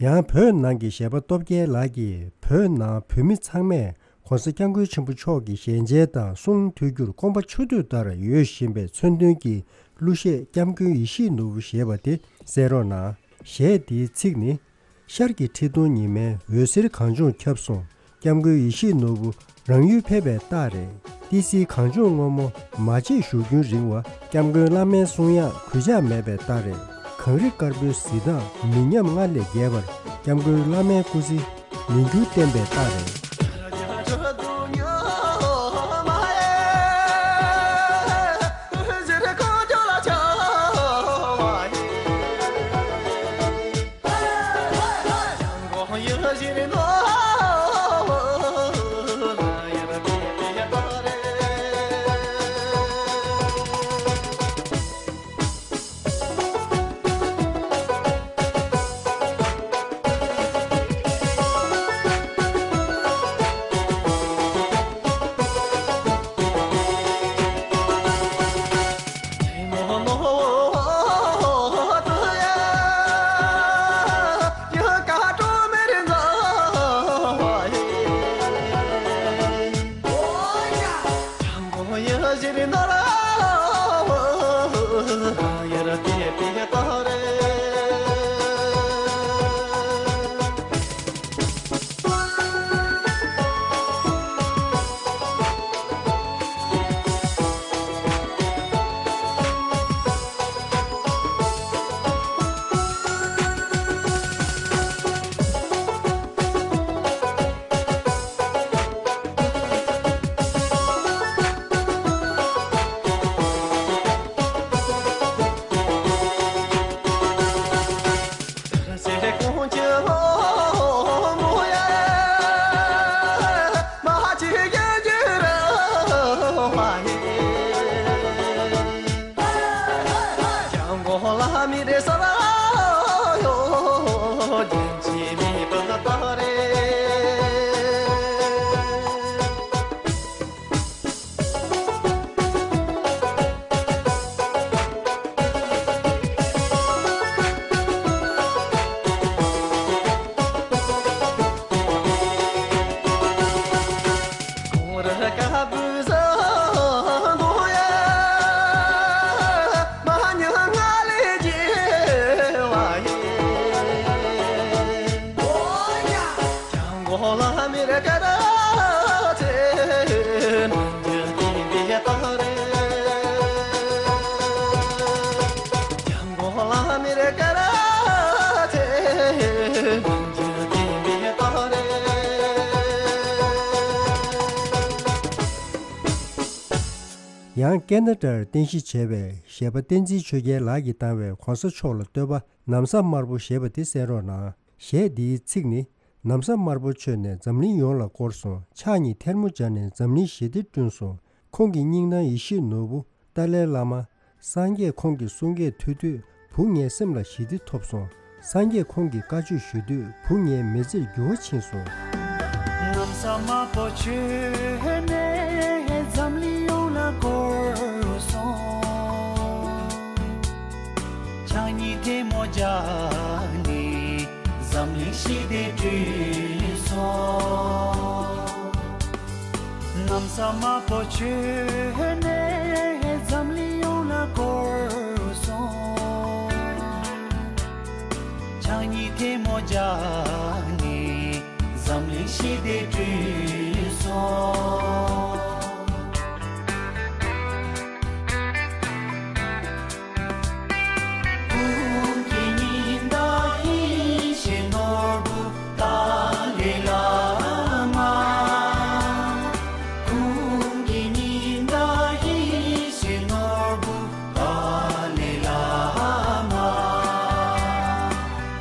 ཡང་བོད་ནང་གི་གཞས་པ་སྟོབས་རྒྱལ་ལགས་ཀྱིས་བོད་ནང་བོད་མི་ཚང་མས་༸གོང་ས་༸སྐྱབས་མགོན་ཆེན་པོ་མཆོག་གི་ཞལ་མཇལ་དང་གསུང་ཐོས་རྒྱུར་དགོངས་པ་ཆེ་བསྟོད་ལྟར་ཡོད་བཞིན་པའི་མཚོན་དོན་གྱི་གླུ་གཞས་༸སྐྱབས་མགོན་ཡིད་བཞིན་ནོར་བུ་ཞེས་པ་དེ་གསན་རོགས་གནང་། གཞས་འདིའི་ཚིག་ནི། ཤར་གྱི་ཁྲི་སྟོང་ཉི་མའི་འོད་ཟེར་གངས་ལྗོངས་ཁྱབ་སོང་། སྐྱབས་མགོན་ཡིད་བཞིན་ནོར་བུ་རང་ཡུལ་ཕེབས་པའི་རྟགས་རེད། ཏི་སེའི་གངས་ལྗོངས་སྔོན་མོ་མ་བརྗེད་བཞུགས་རྒྱུན་རིང་བ། སྐྱབས་མགོན་བླ་མའི་གསུང་དབྱངས་གུས་ཕྱག་མེད་པའི་རྟགས་རེད། གངས་རི་དཀར་པོའི་གཟི་མདངས་མི་ཉམས་སྔར་ལས་རྒྱས་པར། སྐྱབས་མགོན་བླ་མའི་སྐུ་ཚེ་མི་འགྱུར་བརྟན་པའི་རྟགས་རེད། ཡང་ཀེ་ན་ཌར་རྟེན་གཞི་བྱས་པའི་གཞས་པ་བསྟན་འཛིན་ཆོས་རྒྱལ་ལགས་ཀྱིས་བཏང་བའི་གོང་ས་མཆོག་ལ་བསྟོད་པ། ན་བཟའ་དམར་པོ་ཞེས་པ་དེ་གསན་རོགས་གནང་། གཞས་འདིའི་ཚིག་ནི། ན་བཟའ་དམར་པོ་མཆོད་ནས་འཛམ་གླིང་ཡོངས་ལ་བསྐོར་སོང་། ཕྱག་གཉིས་ཐལ་མོ་སྦྱར་ནས་འཛམ་གླིང་ཞི་བདེ་བསྐྲུན་སོང་། ཁོང་གི་སྙིང་ནང་ཡིད་བཞིན་ནོར་བུ་ཏཱ་ལའི་བླ་མ། སངས་རྒྱས་ཁོང་གི་གསུང་སྐད་ཐོས་དུས་བུ་ངའི་སེམས་ལ་ཞི་བདེ་ཐོབ་སོང་། སངས་རྒྱས་ཁོང་གི་བཀའ་ཆོས་ཞུ་དུས་བུ་ངའི་མི་ཚེར་འགྱུར་བ་ཕྱིན་སོང་། ན་བཟའ་དམར་པོ་མཆོད་ནས་འཛམ་གླིང་ཡོངས་ལ་བསྐོར་སོང་། ཕྱག་གཉིས་ཐལ་མོ་སྦྱར་ནས་འཛམ་གླིང་ཞི་བདེ་བསྐྲུན་སོང་། ན་བཟའ་དམར་པོ་མཆོད་ནས་འཛམ་གླིང་ཡོངས་ལ་བསྐོར་སོང་། ཕྱག་གཉིས་ཐལ་མོ་སྦྱར་ནས་འཛམ་གླིང་ཞི་བདེ་བསྐྲུན་སོང་། ཀུན་གྱི་ཉི་ཟླ་ཡིད་བཞིན་ནོར་བུ་ཏཱ་ལའི་བླ་མ། ཀུན་གྱི་ཉི་ཟླ་ཡིད་བཞིན་ནོར་བུ་ཏཱ་ལའི་བླ་མ།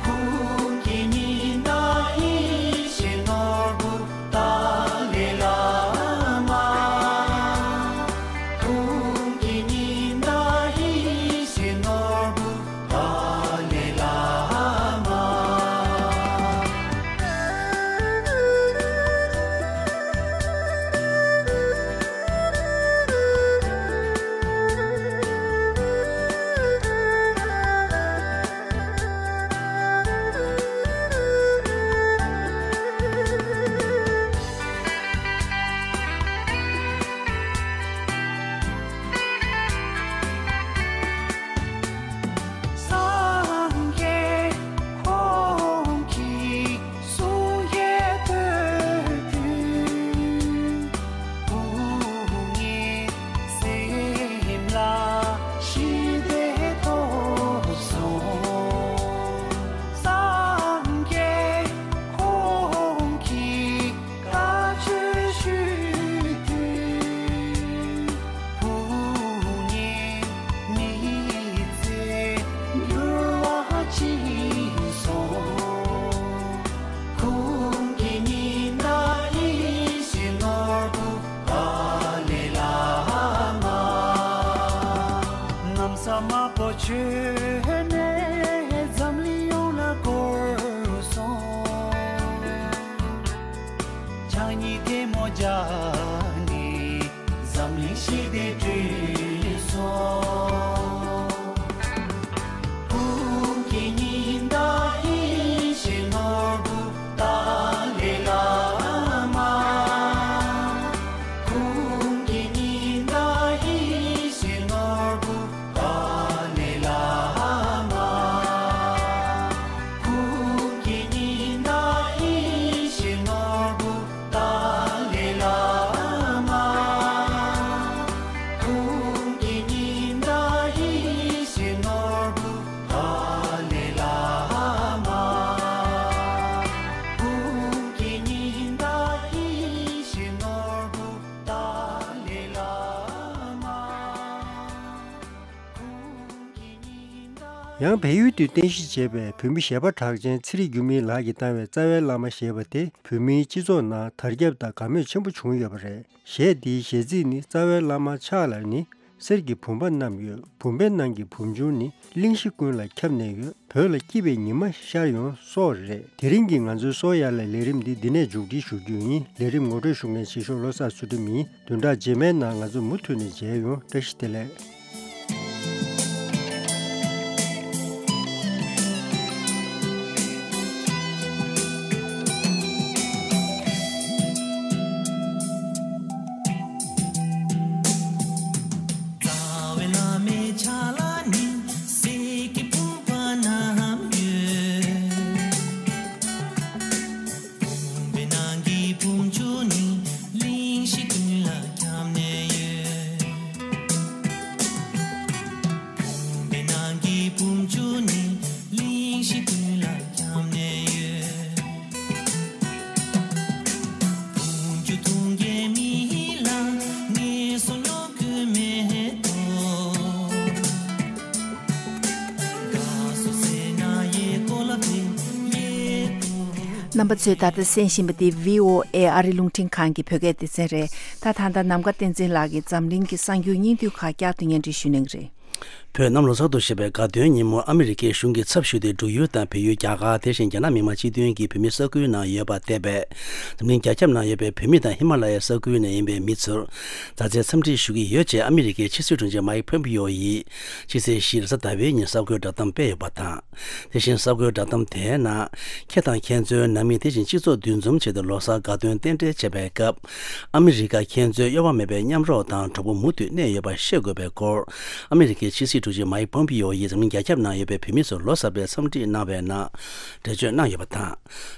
ཀུན་གྱི་ཉི་ཟླ་ཡིད་བཞིན་ནོར་བུ་ཏཱ་ལའི་བླ་མ། ས་དམར་པོ་བྱོན་ནས་འཛམ་གླིང་ཡོངས་ལ་བསྐོར་སོང་། ཕྱག་གཉིས་ཐལ་མོ་སྦྱར་ནས་འཛམ་གླིང་ཞི་བདེ་བསྐྲུན་སོང་། ཀུན་གྱི་ཉི་ཟླ་ཡེ་ཤེས་ནོར་བུ་ཏཱ་ལའི་བླ་མ། ཀུན་གྱི་ཉི་ཟླ་ཡེ་ཤེས་ནོར་བུ་ཏཱ་ལའི་བླ་མ། ཀུན་གྱི་ཉི་ཟླ་ཡེ་ཤེས་ནོར་བུ་ཏཱ་ལའི་བླ་མ། ཀུན་གྱི་ཉི་ཟླ་ཡེ་ཤེས་ནོར་བུ་ཏཱ་ལའི་བླ་མ། ཀུན་གྱི་ཉི་ཟླ་ཡེ་ཤེས་ནོར་བུ་ཏཱ་ལའི་བླ་མ། ཡང་བལ་ཡུལ་དུ་རྟེན་གཞི་བྱས་པའི་བོད་མི་གཞས་པ་གྲགས་ཅན་ཚེ་རིང་འགྱུར་མེད་ལགས་ཀྱིས་བཏང་བའི་རྩ་བའི་བླ་མ་ཞེས་པ་དེ་བོད་མིའི་སྤྱི་ཚོགས་ནང་དར་ཁྱབ་དང་དགའ་མོས་ཆེན་པོ་བྱུང་ཡོད་པ་རེད། གཞས་འདིའི་གཞས་ཚིག་ནི། རྩ་བའི་བླ་མ་ཕྱག་ལ་ནི། གསེར་གྱི་བུམ་པ་བསྣམས་ཡོད། བུམ་པའི་ནང་གི་བུམ་ཆུང་ནི། གླིང་བཞི་ཀུན་ལ་ཁྱབ་ནས་ཡོད། བོད་ལ་སྐྱིད་པའི་ཉི་མ་ཤར་ཡོང་སོགས་རེད། དེ་རིང་གི་ང་ཚོའི་སོ་ཡ་ལ་ལས་རིམ་འདི་འདི་ནས་མཇུག་སྒྲིལ་ཞུ་རྒྱུ་ཡིན། ལས་རིམ་ངོ་སྤྲོད་ཞུ་མཁན་ཆེ་ཤོས་བློ་བཟང་ཚུལ་ཁྲིམས་ཡིན། བདུན་ཕྲག་རྗེས་མའི་ནང་ང་ཚོ་མུ་མཐུད་ནས་མཇལ་ཡོང་། བཀྲ་ཤིས་བདེ་ལེགས། རྩ་བའི་བླ་མའི་ཕྱག་ལ་ནི། གསེར་གྱི་བུམ་པ་བསྣམས་ཡོད། བུམ་པའི་ནང་གི་བུམ་ཆུང་ནི། གླིང་བཞི་ཀུན་ལ་ཁྱབ་ནས་ཡོད། བུམ་པའི་ནང་གི་བུམ་ཆུང་ནི། གླིང་བཞི་ཀུན་ལ་ཁྱབ་ནས་ཡོད། བུམ་ཆུ་འཐུང་མཁན་མི་ལ་ངལ་གསོ་སློང་དགོས་མེད་དོ། དགའ་བསུ་ཟེར་ན་ཡེ་ཀོ་ལ་བེ་ཡེ་ཀོ། རྣམ་པ་ཚོས་ད་ལྟ་གསན་བཞིན་པ་འདི་བྷི་ཨོ་ཨེ་ཨ་རི་རླུང་འཕྲིན་ཁང་གི་བོད་སྐད་སྡེ་ཚན་རེད། ད་ད་ལྟ་ནམ་མཁའ་བསྟན་འཛིན་ལགས་ཀྱིས་འཛམ་གླིང་གི་གསར་འགྱུར་སྙིང་བསྡུས་ཁག་བསྐྱར་དུ་སྙན་སྒྲོན་ཞུ་གནང་གི་རེད། བོད་གནམ་ལོ་གསར་དུ་བཞད་པའི་དགའ་སྟོན་ཉིན་མོར་ཨ་མི་རི་ཀའི་གཞུང་གིས་ཚབ་ཞུས་ཏེ་འབྲུག་ཡུལ་དང་བལ་ཡུལ། རྒྱ་གར། དེ་བཞིན་རྒྱ་ནག་མི་དམངས་སྤྱི་མཐུན་གྱི་བོད་མིའི་ས་ཁུལ་ནང་ཡོད་པ་འདས་པའི་འཛམ་གླིང་རྒྱ་ཁྱབ་ནང་ཡོད་པའི་བོད་མི་དང་ཧི་མ་ལ་ཡའི་ས་ཁུལ་ནས་ཡིན་པའི་མི་ཚོར་མཛའ་བརྩེའི་འཚམས་འདྲི་ཞུ་གི་ཡོད་ཅེས་ཨ་མི་རི་ཀའི་ཕྱི་སྲིད་དྲུང་ཆེ་མའིག་ཕོམ་པིའོ་ཡིས་ཕྱི་ཚེས་བཞི་རེས་གཟའ་ཟླ་བའི་ཉིན་གསར་འགོད་བསྒྲགས་གཏམ་སྤེལ་ཡོད་པ་དང་། དེ་བཞིན་གསར་འགོད་བསྒྲགས་གཏམ་དེའི་ནང་། ཁྱེད་དང་ཁྱེད་ཚོའི་ནང་མི་དེ་བཞིན་སྤྱི་ཚོགས་འདུ་འཛོམས་བྱས་ཏེ་ལོ་གསར་དགའ་སྟོན་རྟེན་འབྲེལ་བྱེད་པའི་སྐབས། ཨ་མི་རི་ཀ་ཁྱེད་ཚོའི་གཡོ་བ་མེད་པའི་མཉམ་རོགས་དང་གྲོགས་པོ་མུ་མཐུད་གནས་ཡོད་པ་ཤེས་དགོས་པའི་སྐོར། ཨ་མི་རི་ཀའི་ཕྱི་སྲིད་དྲུང་ཆེ་མའིག་ཕོམ་པིའོ་ཡིས་འཛམ་གླིང་རྒྱ་ཁྱབ་ནང་ཡོད་པའི་བོད་མི་ཚོར་ལོ་གསར་པའི་འཚམས་འདྲི་གནང་བའི་ནང་། འགྲེལ་བརྗོད་གནང་ཡོད་པ་དང་།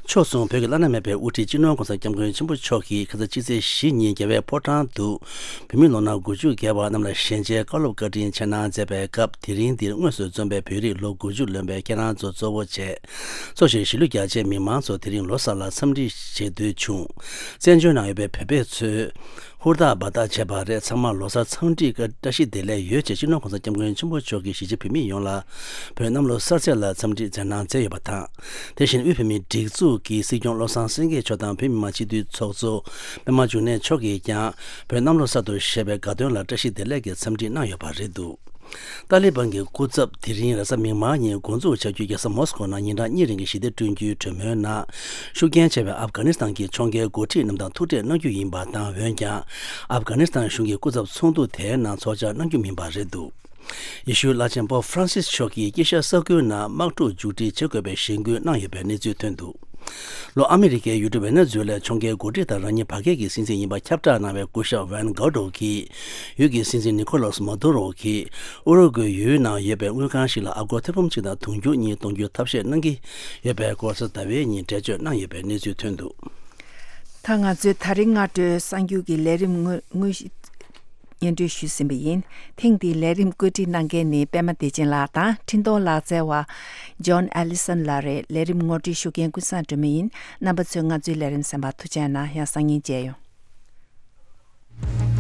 ཕྱོགས་མཚུངས་བོད་ཀྱི་བླ་ན་མེད་པའི་དབུ་ཁྲིད་སྤྱི་ནོར་༸གོང་ས་༸སྐྱབས་མགོན་ཆེན་པོ་མཆོག་གིས་ཁ་སང་ཕྱི་ཚེས་བཞི་ཉིན་རྒྱལ་བའི་ཕོ་བྲང་དུ། བོད་མི་ལོ་ན་དགུ་བཅུ་བརྒལ་བ་རྣམས་ལ་ཞལ་མཇལ་བཀའ་སློབ་བཀའ་དྲིན་ཆེ་གནང་མཛད་པའི་སྐབས། དེ་རིང་འདིར་དངོས་སུ་འཛོམས་པའི་བོད་རིགས་ལོ་དགུ་བཅུ་ལོན་པའི་ཁྱེད་རང་ཚོ་གཙོ་བོ་བྱས། འཚོ་གཞེས་གཞིས་ལུས་རྒྱ་ཆེའི་མི་མང་ཚོ་དེ་རིང་ལོ་གསར་ལ་འཚམས་འདྲི་བྱེད་འདོད་བྱུང་། བཙན་བྱོལ་ནང་ཡོད་པའི་བོད་པ་ཚོས་ཧུར་ཐག་འབད་ཐག་བྱས་པ་རེད། ཚང་མ་ལོ་གསར་འཚམས་འདྲི་བཀྲ་ཤིས་བདེ་ལེགས་ཡོད་ཅེས་སྤྱི་ནོར་༸གོང་ས་༸སྐྱབས་མགོན་ཆེན་པོ་མཆོག་གིས་གཞིས་བྱེས་བོད་མི་ཡོངས་ལ་བོད་གནམ་ལོ་གསར་ཚེས་ལ་འཚམས་འདྲི་མཛད་གནང་མཛད་ཡོད་པ་དང་། དེ་བཞིན་དབུས་བོད་མིའི་སྒྲིག་འཛུགས་ཀྱི་སྲིད་སྐྱོང་བློ་བཟང་སེང་གེ་མཆོག་དང་བོད་མི་མང་སྤྱི་འཐུས་ཚོགས་གཙོ་པད་མ་འབྱུང་གནས་མཆོག་གིས་ཀྱང་བོད་གནམ་ལོ་གསར་དུ་བཞད་པའི་དགའ་སྟོན་ལ་བཀྲ་ཤིས་བདེ་ལེགས་ཀྱི་འཚམས་འདྲི་གནང་ཡོད་པ་རེད་འདུག་ཏཱ་ལི་བན་གྱི་སྐུ་ཚབ་དེ་རིང་རེས་གཟའ་མིག་དམར་ཉིན་འགོ་འཛུགས་བྱ་རྒྱུའི་རྒྱལ་ས་མོ་སི་ཀོ་ནང་ཉིན་གྲངས་གཉིས་རིང་གི་ཞི་བདེ་བསྐྲུན་རྒྱུའི་གྲོས་མོལ་ནང་ཤུགས་རྐྱེན་ཆེ་བའི་ཨབ་གྷ་ནི་སི་ཐན་གྱི་ཕྱོགས་འགལ་འགོ་ཁྲིད་རྣམས་དང་ཐུག་འཕྲད་གནང་རྒྱུ་ཡིན་པ་དང་། འོན་ཀྱང་ཨབ་གྷ་ནི་སི་ཐན་གཞུང་གི་སྐུ་ཚབ་ཚོགས་འདུ་དེའི་ནང་ཚོགས་བཅར་གནང་རྒྱུ་མིན་པ་རེད་འདུག་ཡེ་ཤུའི་བླ་ཆེན་པོབ་ཧྥ་རན་སིས་མཆོག་གིས་དཀྱིལ་ཤར་ས་ཁུལ་ནང་དམག་འཁྲུག་མཇུག་སྒྲིལ་བྱེད་དགོས་པའི་གཞེན་སྐུལ་གནང་ཡོད་པའི་གནས་ཚུལ་ཐོན་འདུག་ལོ། ཨ་མི་རི་ཀའི་ཡུལ་གྲུ་ཝེ་ནེ་ཛུ་ཝེ་ལའི་ཕྱོགས་འགལ་འགོ་ཁྲིད་དང་རང་ཉིད་བར་བརྒལ་གྱི་སྲིད་འཛིན་ཡིན་པ་ཁྱབ་བསྒྲགས་གནང་བའི་སྐུ་ཞབས་ཝན་གའོ་ཏོ་གིས། ཡུལ་གྱི་སྲིད་འཛིན་ནི་ཁོ་ལཱས་མ་དུ་རོ་གིས་ཨུ་རུ་ཀུའེ་ཡུལ་ནང་ཡོད་པའི་དངུལ་ཁང་ཞིག་ལ་ཨ་སྒོར་ཐེར་འབུམ་གཅིག་དང་དུང་ཕྱུར་གཉིས་གཏོང་རྒྱུའི་ཐབས་ཤེས་གནང་གི་ཡོད་པའི་སྐོར་རེས་གཟའ་ཟླ་བའི་ཉིན་འགྲེལ་བརྗོད་གནང་ཡོད་པའི་གནས་ཚུལ་ཐོན་འདུག་ད་ང་ཚོའི་ད་རིང་སྔ་དྲོའི་གསར་འགྱུར་གྱི་ལས་རིམ་དངོས་དངོས་གཞི་སྙན་སྒྲོན་ཞུས་ཟིན་པ་ཡིན། ཐེངས་འདིའི་ལས་རིམ་བཀོད་སྒྲིག་གནང་མཁན་ནི་པད་མ་བདེ་ཆེན་ལགས་དང་འཕྲིན་གཏོང་ལག་རྩལ་བ་ཇོན་ཨེ་ལི་སན་ལགས་རེད། ལས་རིམ་ངོ་སྤྲོད་ཞུ་མཁན་ཀུན་བཟང་སྒྲོལ་མ་ཡིན། རྣམ་པ་ཚོས་ང་ཚོའི་ལས་རིམ་གསན་པར་ཐུགས་རྗེ་གནང་། ཡང་སང་ཉིན་མཇལ་ཡོང་།